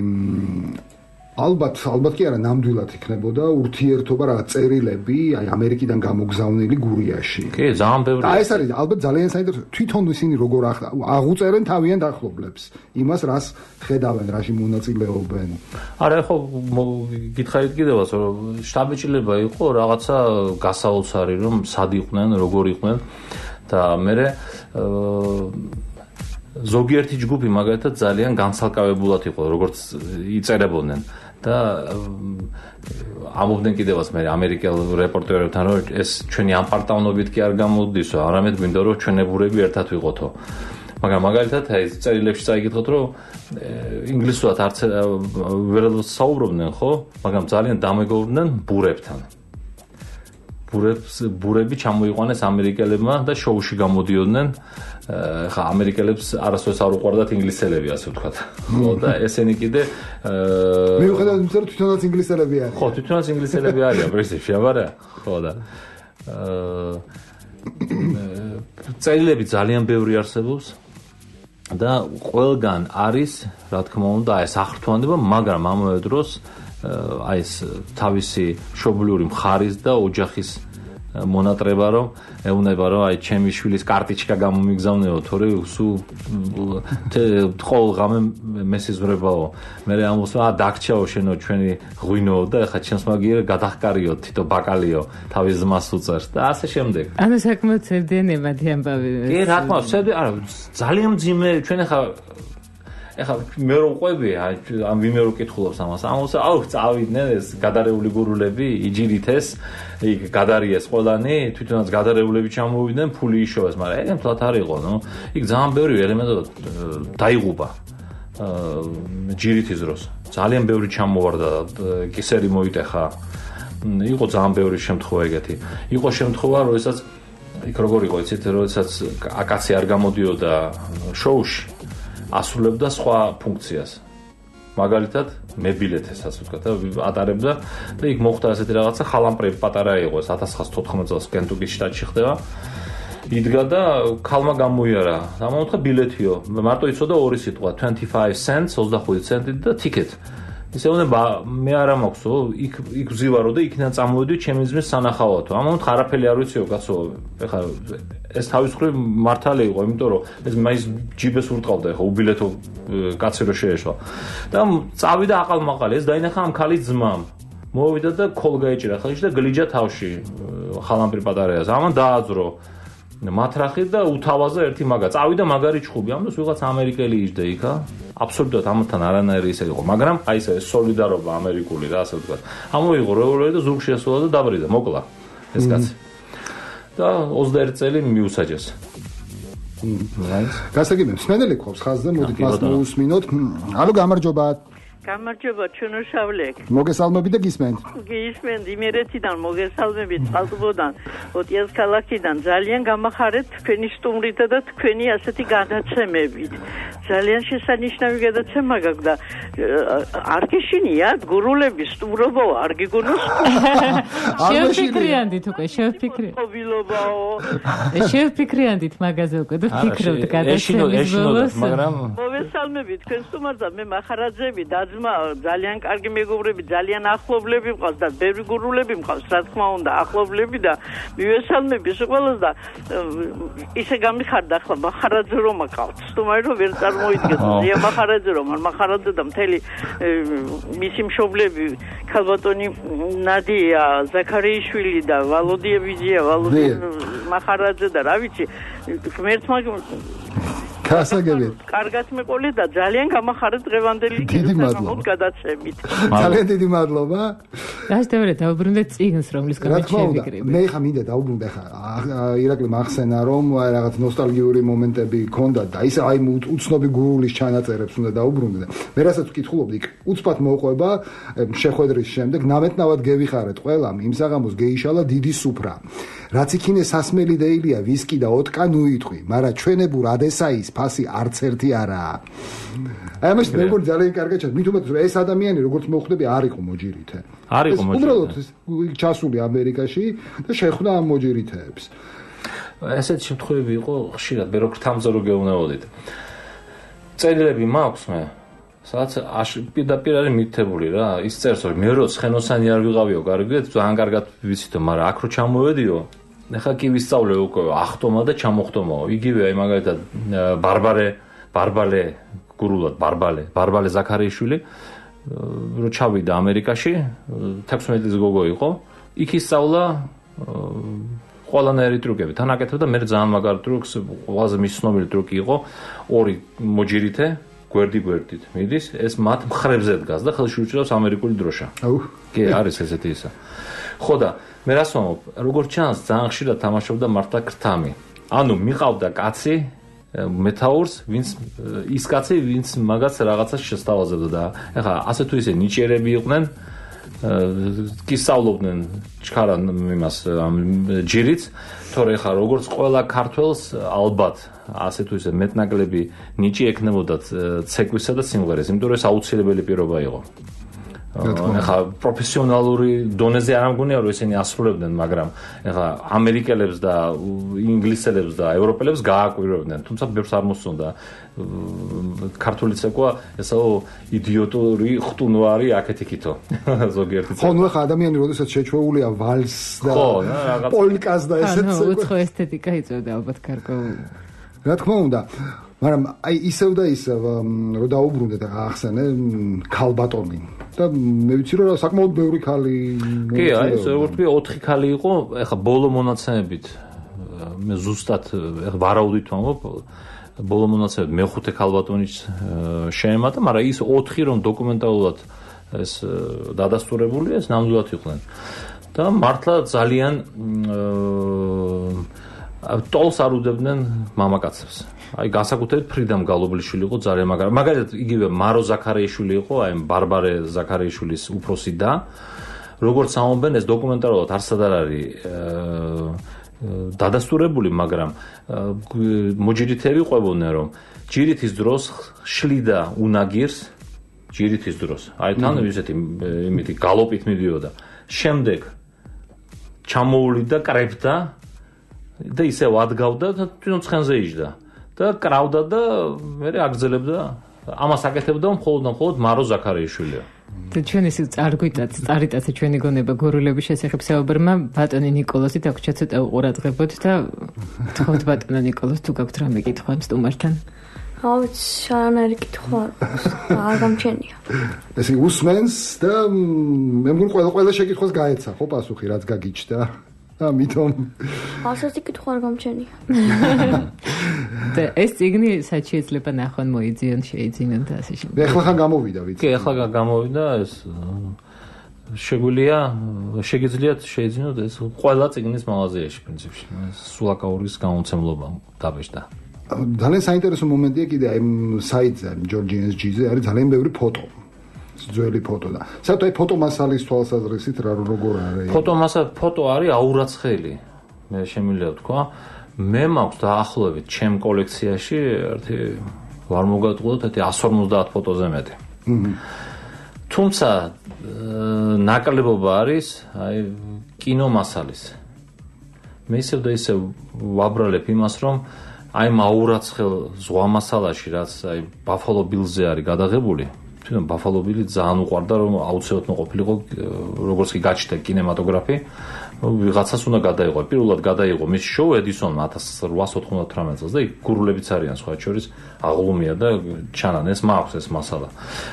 ალბათ ალბათ კი არა ნამდვილად იქნებოდა ურთიერთობა რა წერილები აი ამერიკიდან გამოგზავნილი გურიაში კი ძალიან ბევრი და ეს არის ალბათ ძალიან საინტერესო თვითონ ისინი როგორ აღუწერენ თავიანთ ახლობლებს იმას რას ხედავენ რაში მონაწილეობენ არა ხო გითხარით კიდევაც რომ შტაბ-ბიჭილება იყო რაღაცა გასაოცარი რომ სად იყვნენ როგორ იყვნენ და მე ზოგიერთი ჯგუფი მაგალითად ძალიან განცალკავებულად იყო როგორც იწერებოდნენ და ამობდნენ კიდევაც მე ამერიკელ რეპორტერებთან რომ ეს ჩვენი ამპარტავნობით კი არ გამოდისო არამედ გვინდა რომ ჩვენებურები ერთად ვიყოთო მაგრამ მაგალითად აი წერილებში წაიგითხოთ რომ ინგლისურად არც ვერ საუბრობდნენ ხო მაგრამ ძალიან დამეგობრდნენ ბურებთან ბურებს ბურები ჩამოიყვანეს ამერიკელებმა და შოუში გამოდიოდნენ ხა ამერიკელებს არასდროს არ უყვარდათ ინგლისელები ასე ვთქვათ. ხო და ესენი კიდე მიუხედავად იმისა რომ თვითონაც ინგლისელები არიან. ხო, თვითონაც ინგლისელები არიან პრინციპში, აბარა. ხო და წერილები ძალიან ბევრი არსებობს და ყველგან არის, რა თქმა უნდა, ეს აღრთვანება, მაგრამ ამავე დროს აი ეს თავისი მშობლიური მხარის და ოჯახის მონატრება რომ ეუნება რომ აი ჩემი შვილის კარტიჩკა გამომიგზავნეო თორე სულ ყოველღამე მესიზმრებაო მე ამბობს ა დაგჭაო შენო ჩვენი ღვინო და ეხა ჩემს მაგიერ გადახკარიო თითო ბაკალიო თავის ძმას უწერს და ასე შემდეგ ანუ საკმაოდ ცერდიანებადი ამბავი კი რა თქმა უნდა არა ძალიან მძიმე ჩვენ ეხა ეხა მე რო ყვები ამ ვინმე რო კითხულობს ამას ამას აუ წავიდნენ ეს გადარეული გურულები იჯირით ეს იქ გადარიეს ყველანი თვითონაც გადარეულები ჩამოვიდნენ ფული იშოვეს მაგრამ ეგ მთლად არ იყო ნუ იქ ძალიან ბევრი ელემენტი დაიღუპა ჯირითის დროს ძალიან ბევრი ჩამოვარდა კისერი მოიტეხა იყო ძალიან ბევრი შემთხვევა ეგეთი იყო შემთხვევა როდესაც იქ როგორ იყო იცით როდესაც აკაცი არ გამოდიოდა შოუში ასრულებდა სხვა ფუნქციას. მაგალითად, მებილეთეს ასე ვთქვათ, ატარებდა და იქ მოხდა ასეთი რაღაცა, ხალამპრები პატარა იყო, ეს ათას ცხრაასი თოთხმეტ წელს კენტუკის შტატში ხდება. იდგა და ქალმა გამოიარა. ამოუთხა ბილეთიო. მარტო იცოდა ორი სიტყვა, twenty-five cents, ოცდახუთი ცენტი და ticket. ისე უნდა მე არა მაქვსო, იქ იქ ვზივარო და იქიდან წამოვედი ჩემი ძმის სანახავათო. ამოუთხა არაფერი არ ვიციო, კაცო. ეხლა ეს თავის მხრივ მართალი იყო, იმიტომ რომ ეს მაის ჯიბეს ურტყავდა, ეხლა უბილეთო კაცი რო შეეშვა. და წავიდა აყალმაყალი, ეს დაინახა ამ ქალის ძმამ. მოვიდა და ქოლ გაიჭირა ხელში და გლიჯა თავში ხალამპრი პატარაას. ამან დააძრო მათრახი და უთავაზა ერთი მაგა. წავიდა მაგარი ჩხუბი. ამას ვიღაც ამერიკელი იჯდა იქა. აბსოლუტურად ამათთან არანაირი ისე იყო, მაგრამ აი ეს სოლიდარობა ამერიკული რა ასე ვთქვათ. ამოიღო რევოლუცია და ზურგში ესვლა და დაბრიდა, მოკლა ეს კაცი. და ოცდაერთი წელი მიუსაჯეს. გასაგებია, სმენელი ყავს ხაზზე, მოდით მას მოусმინოთ. ალო გამარჯობა. გამარჯობა ჩვენოშავლეკ. მოგესალმებით და გისმენთ. გისმენთ იმერეთიდან მოგესალმებით წყალტუბოდან, ოტიას ქალაქიდან. ძალიან გამახარეთ თქვენი სტუმრითა და თქვენი ასეთი გადაცემებით. ძალიან შესანიშნავი გადაცემა გაქვს და არ გეშინიათ გურულების სტუმრობა არ გიგონოს? შევფიქრიანდით უკვე, შევფიქრიანდით. მობილობაო. შევფიქრიანდით მაგაზე უკვე და ფიქრობთ გადაცემის ბოლოს. მაგრამ მოგესალმებით თქვენ სტუმართა, მე მახარაძეები დაძმა ძალიან კარგი მეგობრები, ძალიან ახლობლები მყავს და ბევრი გურულები მყავს, რა თქმა უნდა, ახლობლები და მივესალმები ყველას და ისე გამიხარდა ახლა მახარაძე რომ აკავთ. სტუმარი რომ ვერ წარმოიდგენთ, ზია მახარაძე რომ არ მახარაძე და მთელი მისი მშობლები ქალბატონი ნადია ზაქარიაშვილი და ვალოდია ვიზია, ვალოდია მახარაძე და რა ვიცი, ღმერთმა გასაგებია. კარგად მეყოლე და ძალიან გამახარეთ დღევანდელი გადაცემით. ძალიან დიდი მადლობა. გასდევრე დაუბრუნდეთ წიგნს, რომლის გამო შევიკრიბე. მე ხა მინდა დაუბრუნდე ხა ირაკლი მახსენა რომ რაღაც ნოსტალგიური მომენტები ქონდა და ისე აი უცნობი გურულის ჩანაწერებს უნდა დაუბრუნდე. მე რასაც ვკითხულობდი, უცბად მოყვება შეხვედრის შემდეგ ნამეთნავად გევიხარეთ ყველამ იმ საღამოს გეიშალა დიდი სუფრა. რაც იქინე სასმელი დეილია ვისკი და ოტკა ნუიტყვი, მაგრამ ჩვენებურ ადესაის ფასი არც ერთი არაა. აი ამას მე მგონი ძალიან კარგად ჩანს. მით უმეტეს რომ ეს ადამიანი როგორც მოხვდები არ იყო მოჯირითე. არ იყო მოჯირითე. უბრალოდ ჩასული ამერიკაში და შეხვდა ამ მოჯირითეებს. ესეთ შემთხვევები იყო ხშირად, მე როგორ თამზორო გეუნებოდით. წერილები მაქვს მე. სადაც პირდაპირ არის მითითებული რა, ის წერს რომ მე რო ცხენოსანი არ ვიყავიო, კარგად, ძალიან კარგად ვიცითო, მაგრამ აქ რო ჩამოვედიო, ეხლა კი ვისწავლე უკვე ახტომა და ჩამოხტომაო. იგივე აი მაგალითად ბარბარე, ბარბალე გურულად ბარბალე, ბარბალე ზაქარიაშვილი რო ჩავიდა ამერიკაში, თექვსმეტი წლის გოგო იყო, იქ ისწავლა ყველანაირი ტრუკები. თან აკეთებდა მე ძალიან მაგარ ტრუკს, ყველაზე მისცნობელი ტრუკი იყო ორი მოჯირითე გვერდი გვერდით მიდის, ეს მათ მხრებზე დგას და ხელში უჭირავს ამერიკული დროშა. აუ, კი, არის ესეთი ისა. ხო და მე რას ვამბობ, როგორც ჩანს, ძალიან ხშირად თამაშობდა მართა ქრთამი. ანუ მიყავდა კაცი მეთაურს, ვინც ის კაცი, ვინც მაგას რაღაცას შესთავაზებდა და ეხლა ასე თუ ისე ნიჭიერები იყვნენ, კი სწავლობდნენ ჩქარან იმას ჯირიც, თორე ეხლა როგორც ყველა ქართველს ალბათ ასე თუ ისე მეტნაკლები ნიჭი ექნებოდათ ცეკვისა და სიმღერის, იმიტომ რომ ეს აუცილებელი პირობა იყო. ეხლა პროფესიონალური დონეზე არ ამგონია რომ ესენი ასრულებდნენ, მაგრამ ეხლა ამერიკელებს და ინგლისელებს და ევროპელებს გააკვირვებდნენ, თუმცა ბევრს არ მოსწონდა ქართული ცეკვა, ესაო იდიოტური ხტუნვარი აქეთ-იქითო ზოგიერთი ხო, ნუ ახლა ადამიანი როდესაც შეჩვეულია ვალსს და პოლკას და ესეც ანუ უცხო ესთეტიკა იწევდა ალბათ გარკვეულ. რა თქმა უნდა, მაგრამ აი ისევ და ისევ რომ დაუბრუნდე და ახსენე ქალბატონი და მე ვიცი რომ საკმაოდ ბევრი ქალი კი, აი ეს როგორც ვთქვი ოთხი ქალი იყო, ეხლა ბოლო მონაცემებით მე ზუსტად ეხლა ვარაუდით ვამბობ, ბოლო მონაცემებით მეხუთე ქალბატონის შეემატა, მაგრამ ის ოთხი რომ დოკუმენტალურად ეს დადასტურებულია, ეს ნამდვილად იყვნენ. და მართლა ძალიან ტოლს არ უდებდნენ მამაკაცებს. აი განსაკუთრებით ფრიდამ გალობლიშვილი იყო ძალიან მაგარი. მაგალითად იგივე მარო ზაქარიაშვილი იყო, აი ბარბარე ზაქარიაშვილის უფროსი და როგორც ამობენ ეს დოკუმენტალურად არსად არ არის დადასტურებული, მაგრამ მოჯირითები ყვებოდნენ რომ ჯირითის დროს შლიდა უნაგირს, ჯირითის დროს. აი თან ისეთი იმითი გალოპით მიდიოდა. შემდეგ ჩამოულიდა კრებდა და ისევ ადგავდა და თვითონ ცხენზე იჯდა და კრავდა და მე აგრძელებდა ამას აკეთებდა მხოლოდ და მხოლოდ მარო ზაქარიაშვილია. და ჩვენ ისე წარგვიტაც, წარიტაცა ჩვენი გონება გურულების შესახებ საუბრმა, ბატონი ნიკოლოზი დაგვრჩა ცოტა უყურადღებოთ და თხოვთ ბატონო ნიკოლოზ, თუ გაქვთ რამე კითხვა სტუმართან? ავიც არანაირი კითხვა არ გამჩენია. ესე უსმენს და მე მგონი ყველა ყველა შეკითხვას გაეცა, ხო პასუხი რაც გაგიჩნდა. ამიტომ ასეთი კითხვა არ გამჩენია. და ეს წიგნი საერთოდ შეიძლება ნახვან მოიძიონ, შეიძინონ და ასე შემდეგ. ეხლა ხან გამოვიდა ვიცი. კი, ეხლა გამოვიდა ეს შეგვიძლია შეგიძლიათ შეიძინოთ ეს ყველა წიგნის მაღაზიაში პრინციპში. სულაკაურის გამომცემლობა დაბეჭდა. ძალიან საინტერესო მომენტია კიდე აი საიტზე ჯორჯი ეს ჯიზე არის ძალიან ბევრი ფოტო. ძველი ფოტო და საერთოდ ფოტომასალის თვალსაზრისით რა როგორ არის? ფოტომასა ფოტო არის აურაცხელი. მე შემიძლია ვთქვა, მე მაქვს დაახლოებით ჩემ კოლექციაში ერთი ვარ მოგატყუოთ ერთი εκατს ორმოცდაათ ფოტოზე მეტი. თუმცა ნაკლებობა არის აი კინომასალის. მე ისევ და ისევ ვაბრალებ იმას, რომ აი მაურაცხელ ზღვამასალაში, რაც აი ბაფალო ბილზე არის გადაღებული, თვითონ ბაფალო ბილი ძალიან უყვარდა, რომ აუცილებლად მოყოფილიყო, როგორც კი გაჩნდა კინემატოგრაფი, ვიღაცას უნდა გადაიღო. პირველად გადაიღო მის შოუ ედისონმა ათას ოთხსას ოცდათხმეტ წელს და იქ გურულებიც არიან სხვა შორის, აღლუმია და ჩანან ეს მაქვს ეს მასალა.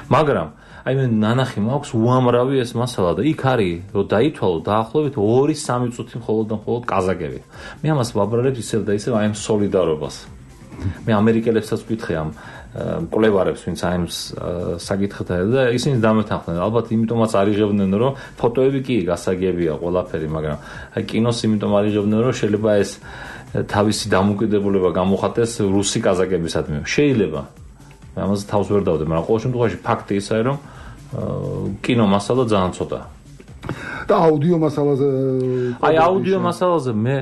მაგრამ აი მე ნანახი მაქვს უამრავი ეს მასალა და იქ არის რომ დაითვალო დაახლოებით ორი სამი წუთი მხოლოდ და მხოლოდ კაზაკები. მე ამას ვაბრალებ ისევ და ისევ აი ამ სოლიდარობას. მე ამერიკელებსაც ვკითხე ამ მკვლევარებს, ვინც აი ამ საკითხთან და ისინი დამეთანხმდნენ. ალბათ იმიტომაც არიღებდნენ რომ ფოტოები კი გასაგებია ყველაფერი, მაგრამ აი კინოს იმიტომ არიღებდნენ რომ შეიძლება ეს თავისი დამოუკიდებლობა გამოხატეს რუსი კაზაკებისადმი. შეიძლება მე ამაზე თავს ვერ დავდე, მაგრამ ყოველ შემთხვევაში ფაქტი ისაა, რომ კინო მასალა ძალიან ცოტა. და აუდიო მასალაზე აი აუდიო მასალაზე მე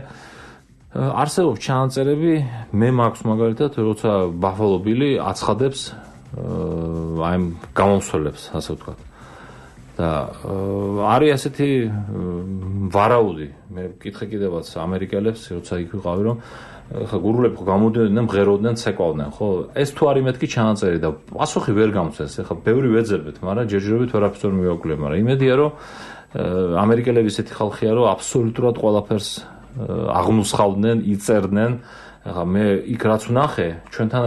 არსებობს ჩანაწერები, მე მაქვს მაგალითად, როცა ბაფალო ბილი აცხადებს აი გამომსვლელებს, ასე ვთქვათ. და არის ასეთი ვარაუდი, მე ვკითხე კიდევაც ამერიკელებს, როცა იქ ვიყავი, რომ ხა გურულები ხო გამოდიოდნენ, მღეროდნენ, ცეკვავდნენ, ხო? ეს თუ არის მეთქი ჩანაწერი და პასუხი ვერ გამწეს. ეხლა ბევრი ვეძებთ, მაგრამ ჯერჯერობით ვერაფერს ვერ მივაკვლიებ, მაგრამ იმედია, რომ ამერიკელები ესეთი ხალხია, რომ აბსოლუტურად ყველაფერს აღნუსხავდნენ, იწერდნენ. ეხლა მე იქ რაც ვნახე, ჩვენთან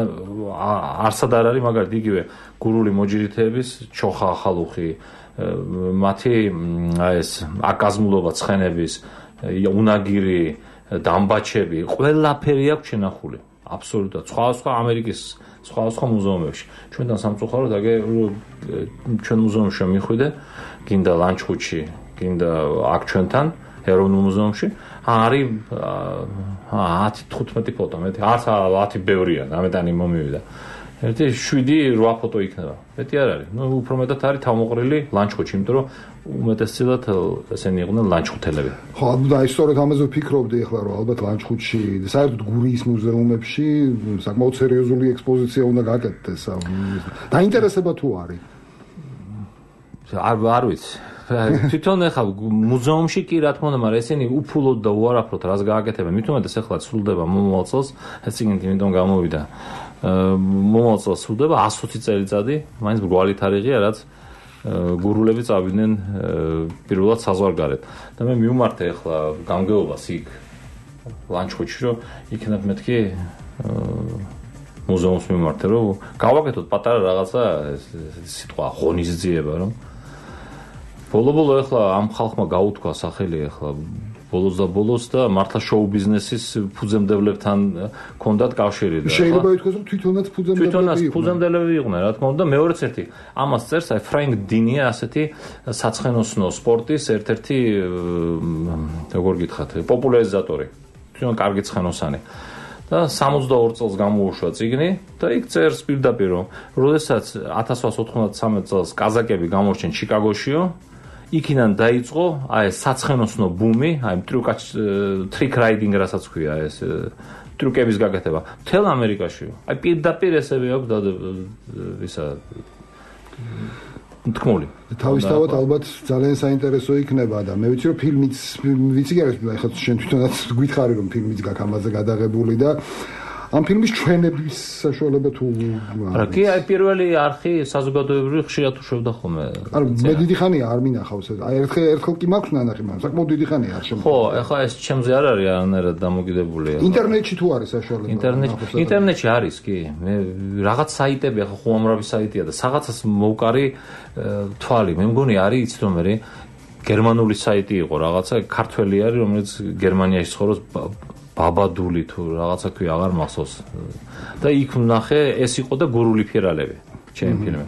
არსად არ არის მაგალითად იგივე გურული მოჯირითეების ჩოხა ახალუხი, მათი აი ეს აკაზმულობა ცხენების, უნაგირი დამბაჩები, ყველაფერი აქვს შენახული. აბსოლუტურად. სხვა სხვა ამერიკის სხვა სხვა მუზეუმებში. ჩვენთან სამწუხაროდ აგე ჩვენ მუზეუმში მიხვიდე, გინდა ლანჩხუთში, გინდა აქ ჩვენთან ეროვნულ მუზეუმში, არის ათი თხუთმეტი ფოტო, მეტი არც ათი ბევრია, ამეტანი მომივიდა. ერთი შვიდი რვა ფოტო იქნება. მეტი არ არის. ნუ უფრო მეტად არის თავმოყრილი ლანჩხუთში, იმიტომ რომ უმეტესწილად ესენი იყვნენ ლანჩხუთელები. ხო, და აი სწორედ ამაზე ვფიქრობდი ახლა, რომ ალბათ ლანჩხუთში, საერთოდ გურიის მუზეუმებში საკმაოდ სერიოზული ექსპოზიცია უნდა გაკეთდეს. დაინტერესება თუ არის? არ არ ვიცი. თვითონ ახლა მუზეუმში კი რა თქმა უნდა, მაგრამ ესენი უფულოდ და უარაფროდ რას გააკეთებენ. მithumetes ახლა სრულდება მომავალ წელს, ეს წიგნი იმიტომ გამოვიდა. მომავალ წელს სრულდება εκατს ოცი წელიწადი, მაინც მრგვალი თარიღია, რაც გურულები წავიდნენ პირველად საზღვარგარეთ. და მე მივმართე ახლა გამგეობას იქ ლანჩხუთში, რომ იქნებ მეთქი მუზეუმს მივმართე, რომ გავაკეთოთ პატარა რაღაცა სიტყვა ღონისძიება, რომ ბოლო-ბოლო ახლა ამ ხალხმა გაუთქვა სახელი ახლა ბოლოს და ბოლოს და მართლა შოუ ბიზნესის ფუძემდებლებთან ჰქონდათ კავშირი და შეიძლება ითქვას რომ თვითონაც ფუძემდებლები თვითონაც ფუძემდებლები იყვნენ, რა თქმა უნდა. მეორეც ერთი ამას წერს აი ფრენკ დინია, ასეთი საცხენოსნო სპორტის ერთ-ერთი როგორ გითხრათ, პოპულარიზატორი. თვითონ კარგი ცხენოსანი. და სამოცდაორ წელს გამოუშვა წიგნი და იქ წერს პირდაპირ, რომ როდესაც ათას ოთხსას ოცდამეტ წელს კაზაკები გამორჩენ ჩიკაგოშიო, იქიდან დაიწყო აი ეს საცხენოსნო ბუმი, აი ტრიკ ტრიკ რაიდინგ რასაც ქვია ეს ტრიკების გაკეთება მთელ ამერიკაში. აი პირდაპირ ესები აქვს და ისა თქმული. თავისთავად ალბათ ძალიან საინტერესო იქნება და მე ვიცი რომ ფილმიც ვიცი კი არის, ახლა შენ თვითონაც გითხარი რომ ფილმიც გაქვს ამაზე გადაღებული და ამ ფილმის ჩვენების საშუალება თუ არა კი აი პირველი არხი საზოგადოებრივი ხშირად უშვებდა ხოლმე. არა მე დიდი ხანია არ მინახავს ეს. აი ერთხელ ერთხელ კი მაქვს ნანახი, მაგრამ საკმაოდ დიდი ხანია არ შემო. ხო, ახლა ეს ჩემზე არ არის არანაირად დამოკიდებულია. ინტერნეტში თუ არის საშუალება? ინტერნეტში ინტერნეტში არის კი. მე რაღაც საიტები ახლა უამრავი საიტია და რაღაცას მოვკარი თვალი. მე მგონი არის იცით რომ მე გერმანული საიტი იყო რაღაცა, ქართველი არის რომელიც გერმანიაში ცხოვრობს, ბაბადული თუ რაღაცა ქვია, აღარ მახსოვს. და იქ ვნახე ეს იყო და გურული ფირალები, ჩემი ფილმი.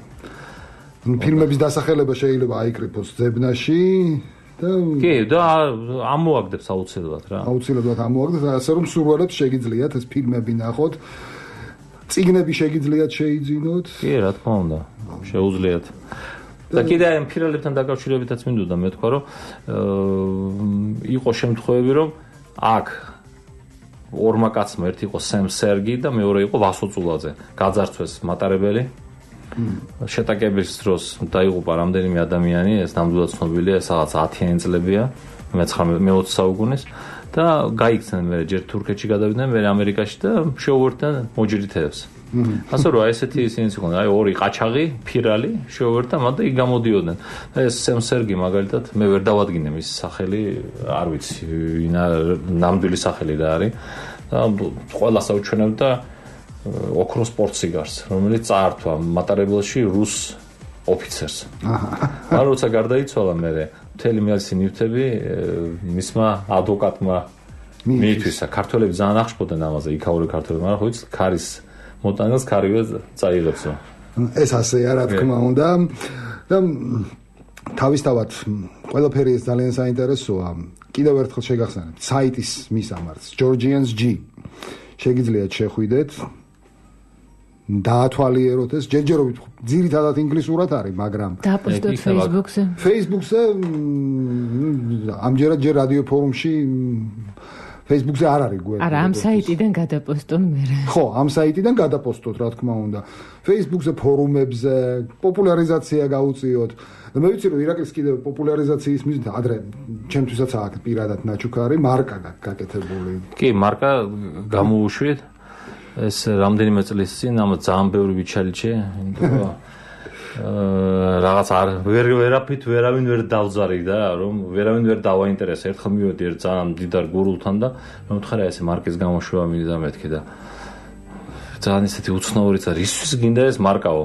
ფილმების დასახელება შეიძლება აიკრიფოს ძებნაში და კი, და ამოაგდებს აუცილებლად რა. აუცილებლად ამოაგდებს, ასე რომ სურვილებს შეგიძლიათ ეს ფილმები ნახოთ. წიგნები შეგიძლიათ შეიძინოთ? კი, რა თქმა უნდა, შეუძლიათ. და კიდე ამ ფირალებთან დაკავშირებითაც მინდოდა მეთქვა, რომ იყო შემთხვევები, რომ აქ ორმა კაცმა ერთი იყო სემ სერგი და მეორე იყო ვასო წულაძე. გაძარცვეს მატარებელი. შეტაკების დროს დაიღუპა რამდენიმე ადამიანი, ეს ნამდვილად ცნობილია, ეს რაღაც ათიანი წლებია, მეოცე საუკუნის და გაიქცნენ მე ჯერ თურქეთში გადავიდნენ, მე ამერიკაში და შეუერთდნენ მოჯრითებს. ასე რომ ესეთი ისინი იყვნენ, აი ორი ყაჩაღი, ფირალი შეუერთდა, მაგრამ იქ გამოდიოდნენ. ეს სემ სერგი მაგალითად მე ვერ დავადგინე მის სახელი, არ ვიცი, ვინა ნამდვილი სახელი რა არის და ყველას აუჩვენებდა ოქროს სპორტსიგარს, რომელიც წაართვა მატარებელში რუს ოფიცერს. აჰა. როცა გარდაიცვალა მე მთელი მეალსი ნივთები მისმა ადვოკატმა მიითვისა. ქართველები ძალიან აღშფოთდნენ ამაზე, იქაური ქართველები, მაგრამ ხო იცი, ქარის მოტანილს ქარივე წაიღებსო. ეს ასეა რა თქმა უნდა. და თავისთავად ყველაფერი ეს ძალიან საინტერესოა. კიდევ ერთხელ შეგახსენებთ საიტის მისამართს Georgians G. შეგიძლიათ შეხვიდეთ. დაათვალიეროთ ეს ჯერჯერობით ძირითადად ინგლისურად არის, მაგრამ დააპოსტოთ Facebook-ზე. Facebook-ზე ამჯერად ჯერ რადიო ფორუმში Facebook-ზე არ არის გვერდი. არა, ამ საიტიდან გადაპოსტონ მე. ხო, ამ საიტიდან გადაპოსტოთ, რა თქმა უნდა. Facebook-ზე, ფორუმებზე პოპულარიზაცია გაუწიოთ. და მე ვიცი რომ ირაკლის კიდევ პოპულარიზაციის მიზნით ადრე ჩემთვისაც აქვს პირადად ნაჩუქარი მარკა გაკეთებული. კი, მარკა გამოუშვით. ეს რამდენიმე წლის წინ ამ ძალიან ბევრი ვიჩალიჩე, იმიტომ რომ რაღაც არ ვერ ვერაფრით ვერავინ ვერ დავზარიდა, რომ ვერავინ ვერ დავაინტერესა. ერთხელ მივედი ერთ ძალიან დიდარ გურულთან და მომთხარა ესე მარკის გამოშვება მინდა მეთქი და ძალიან ისეთი უცნაური წა რისთვის გინდა ეს მარკაო?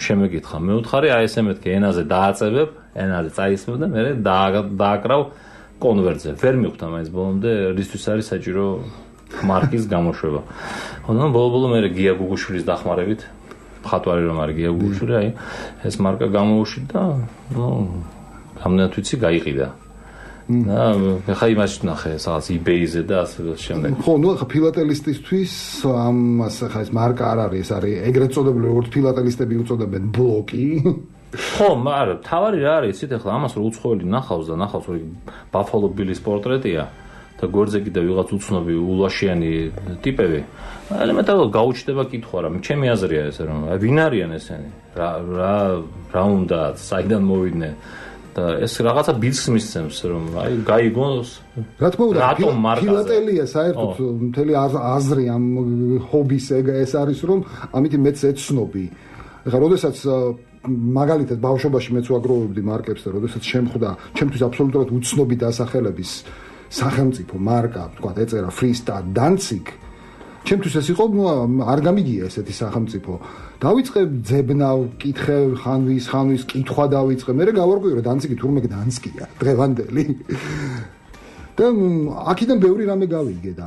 შემეკითხა. მე ვთხარი აი ესე მეთქი ენაზე დააწებებ, ენაზე წაისმევ და მე დააკრავ კონვერტზე. ვერ მიხვდა მაინც ბოლომდე რისთვის არის საჭირო მარკის გამოშვება. ხოდა ბოლო-ბოლო მე გია გუგუშვილის დახმარებით ხატვარი რომ არის გია გუგუშვილი, აი ეს მარკა გამოუშვით და ნუ რამდენად ვიცი გაიყიდა. და ხა იმაში ნახე სადაც eBay-ზე და ასე შემდეგ. ხო, ნუ ხა ფილატელისტისთვის ამას ხა ეს მარკა არ არის, ეს არის ეგრეთ წოდებული როგორც ფილატელისტები უწოდებენ ბლოკი. ხო, მაგრამ თავარი რა არის, იცით ახლა ამას რო უცხოელი ნახავს და ნახავს რომ Buffalo Bill-ის პორტრეტია და გვერდზე კიდე ვიღაც უცნობი ულაშიანი ტიპები. ელემენტარულად გაუჩნდება კითხვა რა, ჩემი აზრია ეს რომ ვინ არიან ესენი? რა რა რა უნდა, საიდან მოვიდნენ? და ეს რაღაცა ბიძს მისცემს რომ აი გაიგოს. რა თქმა უნდა, ფილატელია საერთოდ მთელი აზრი ამ ჰობის ეს არის რომ ამით მეც ეცნობი. ეხლა როდესაც მაგალითად ბავშვობაში მეც ვაგროვებდი მარკებს და როდესაც შემხვდა ჩემთვის აბსოლუტურად უცნობი დასახელების სახელმწიფო მარკა, თქვა ეწერა Freestyle Danzig. ჩემთვის ეს იყო, ნუ არ გამიგია ესეთი სახელმწიფო. დავიწყე ძებნა, ვკითხე ხანვის, ხანვის კითხვა დავიწყე. მე გავარკვიე რომ Danzig თურმე Danzig-ია, დღევანდელი. და აქედან ბევრი რამე გავიგე და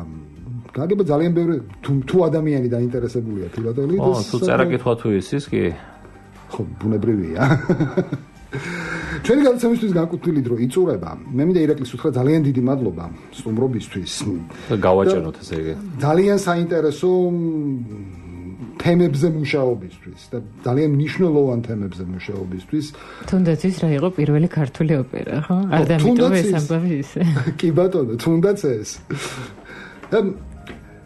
გაგება ძალიან ბევრი თუ ადამიანი დაინტერესებულია ფილატელით. ო, თუ წერა კითხვა თუ ისის კი. ხო, ბუნებრივია. ჩვენი გადაცემისთვის განკუთვნილი დრო იწურება. მე მინდა ირაკლის უთხრა ძალიან დიდი მადლობა სტუმრობისთვის. და გავაჭეროთ ესე იგი. ძალიან საინტერესო თემებზე მუშაობისთვის და ძალიან მნიშვნელოვან თემებზე მუშაობისთვის. თუნდაც ის რა იყო პირველი ქართული ოპერა, ხო? არ დამიტოვე ეს ამბავი ისე. კი ბატონო, თუნდაც ეს.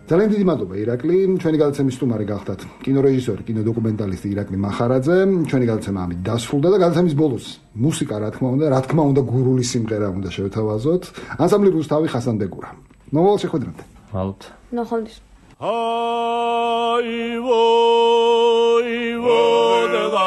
ძალიან დიდი მადლობა ირაკლი, ჩვენი გადაცემის სტუმარი გახდათ კინორეჟისორი, კინოდოკუმენტალისტი ირაკლი მახარაძე. ჩვენი გადაცემა ამით დასრულდა და გადაცემის ბოლოს მუსიკა რა თქმა უნდა, რა თქმა უნდა გურული სიმღერა უნდა შევთავაზოთ. ანსამბლი რუსთავი ხასანბეგურა. ნოვალ შეხვედრამდე. მალთ. ნახვამდის. აი ვოი ვოდება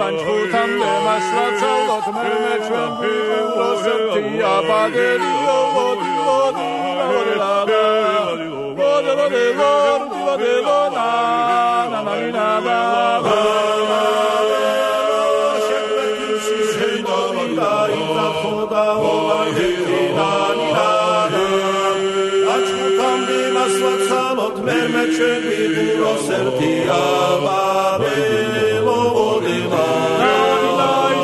ანჩუთან მასლაცალოთ მე მე ჩვენ ვიყუროსებთი აბადელი ოვოდი ოვოდი ოვოდი ლადა ოვოდი ოვოდი ოვოდი ნა ნა ნა ნა ნა მე ჩვენ ვიყუროს ერთი აბადელი ოვოდი ნა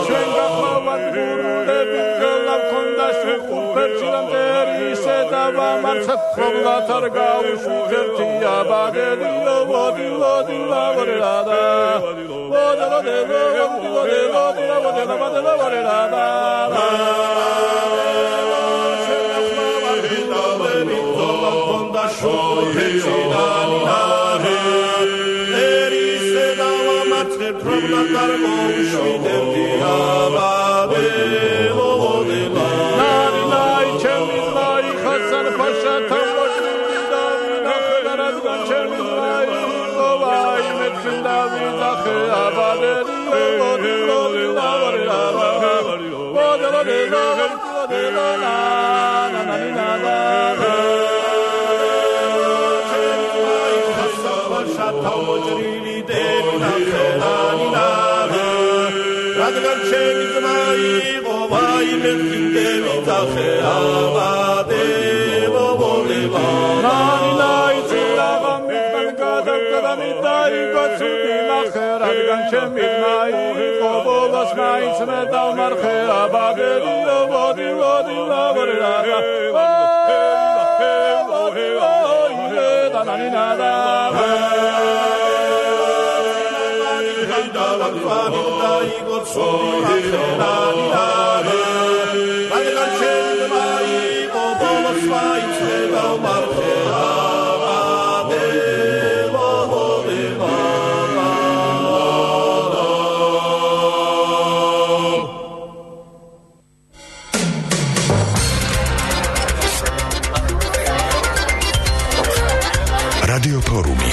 ჩვენ გახლავართ გურულები გლავ ქონდა შეყურფერჩილამდე ისედავა მარცხ ხობლათ არ გავუშვით ერთი აბადელი ოვოდი ოვოდი ოვოდი ლადა ოვოდი ოვოდი ოვოდი ოვოდი ოვოდი ოვოდი ოვოდი ლადა რადგან ჩემი ძმა იყო ვაიმე კიდევ თახე აბადელო მოლება ნანი ნაი ძილაღა მიდან გადავკდამი დაიგო ცუდი ნახე რადგან ჩემი ძმა იყო ბოლოს მაინც მე დავმარხე აბადელო მოდი მოდი ლაბორე ლაბა ნანი ნადა რადიო ფორუმი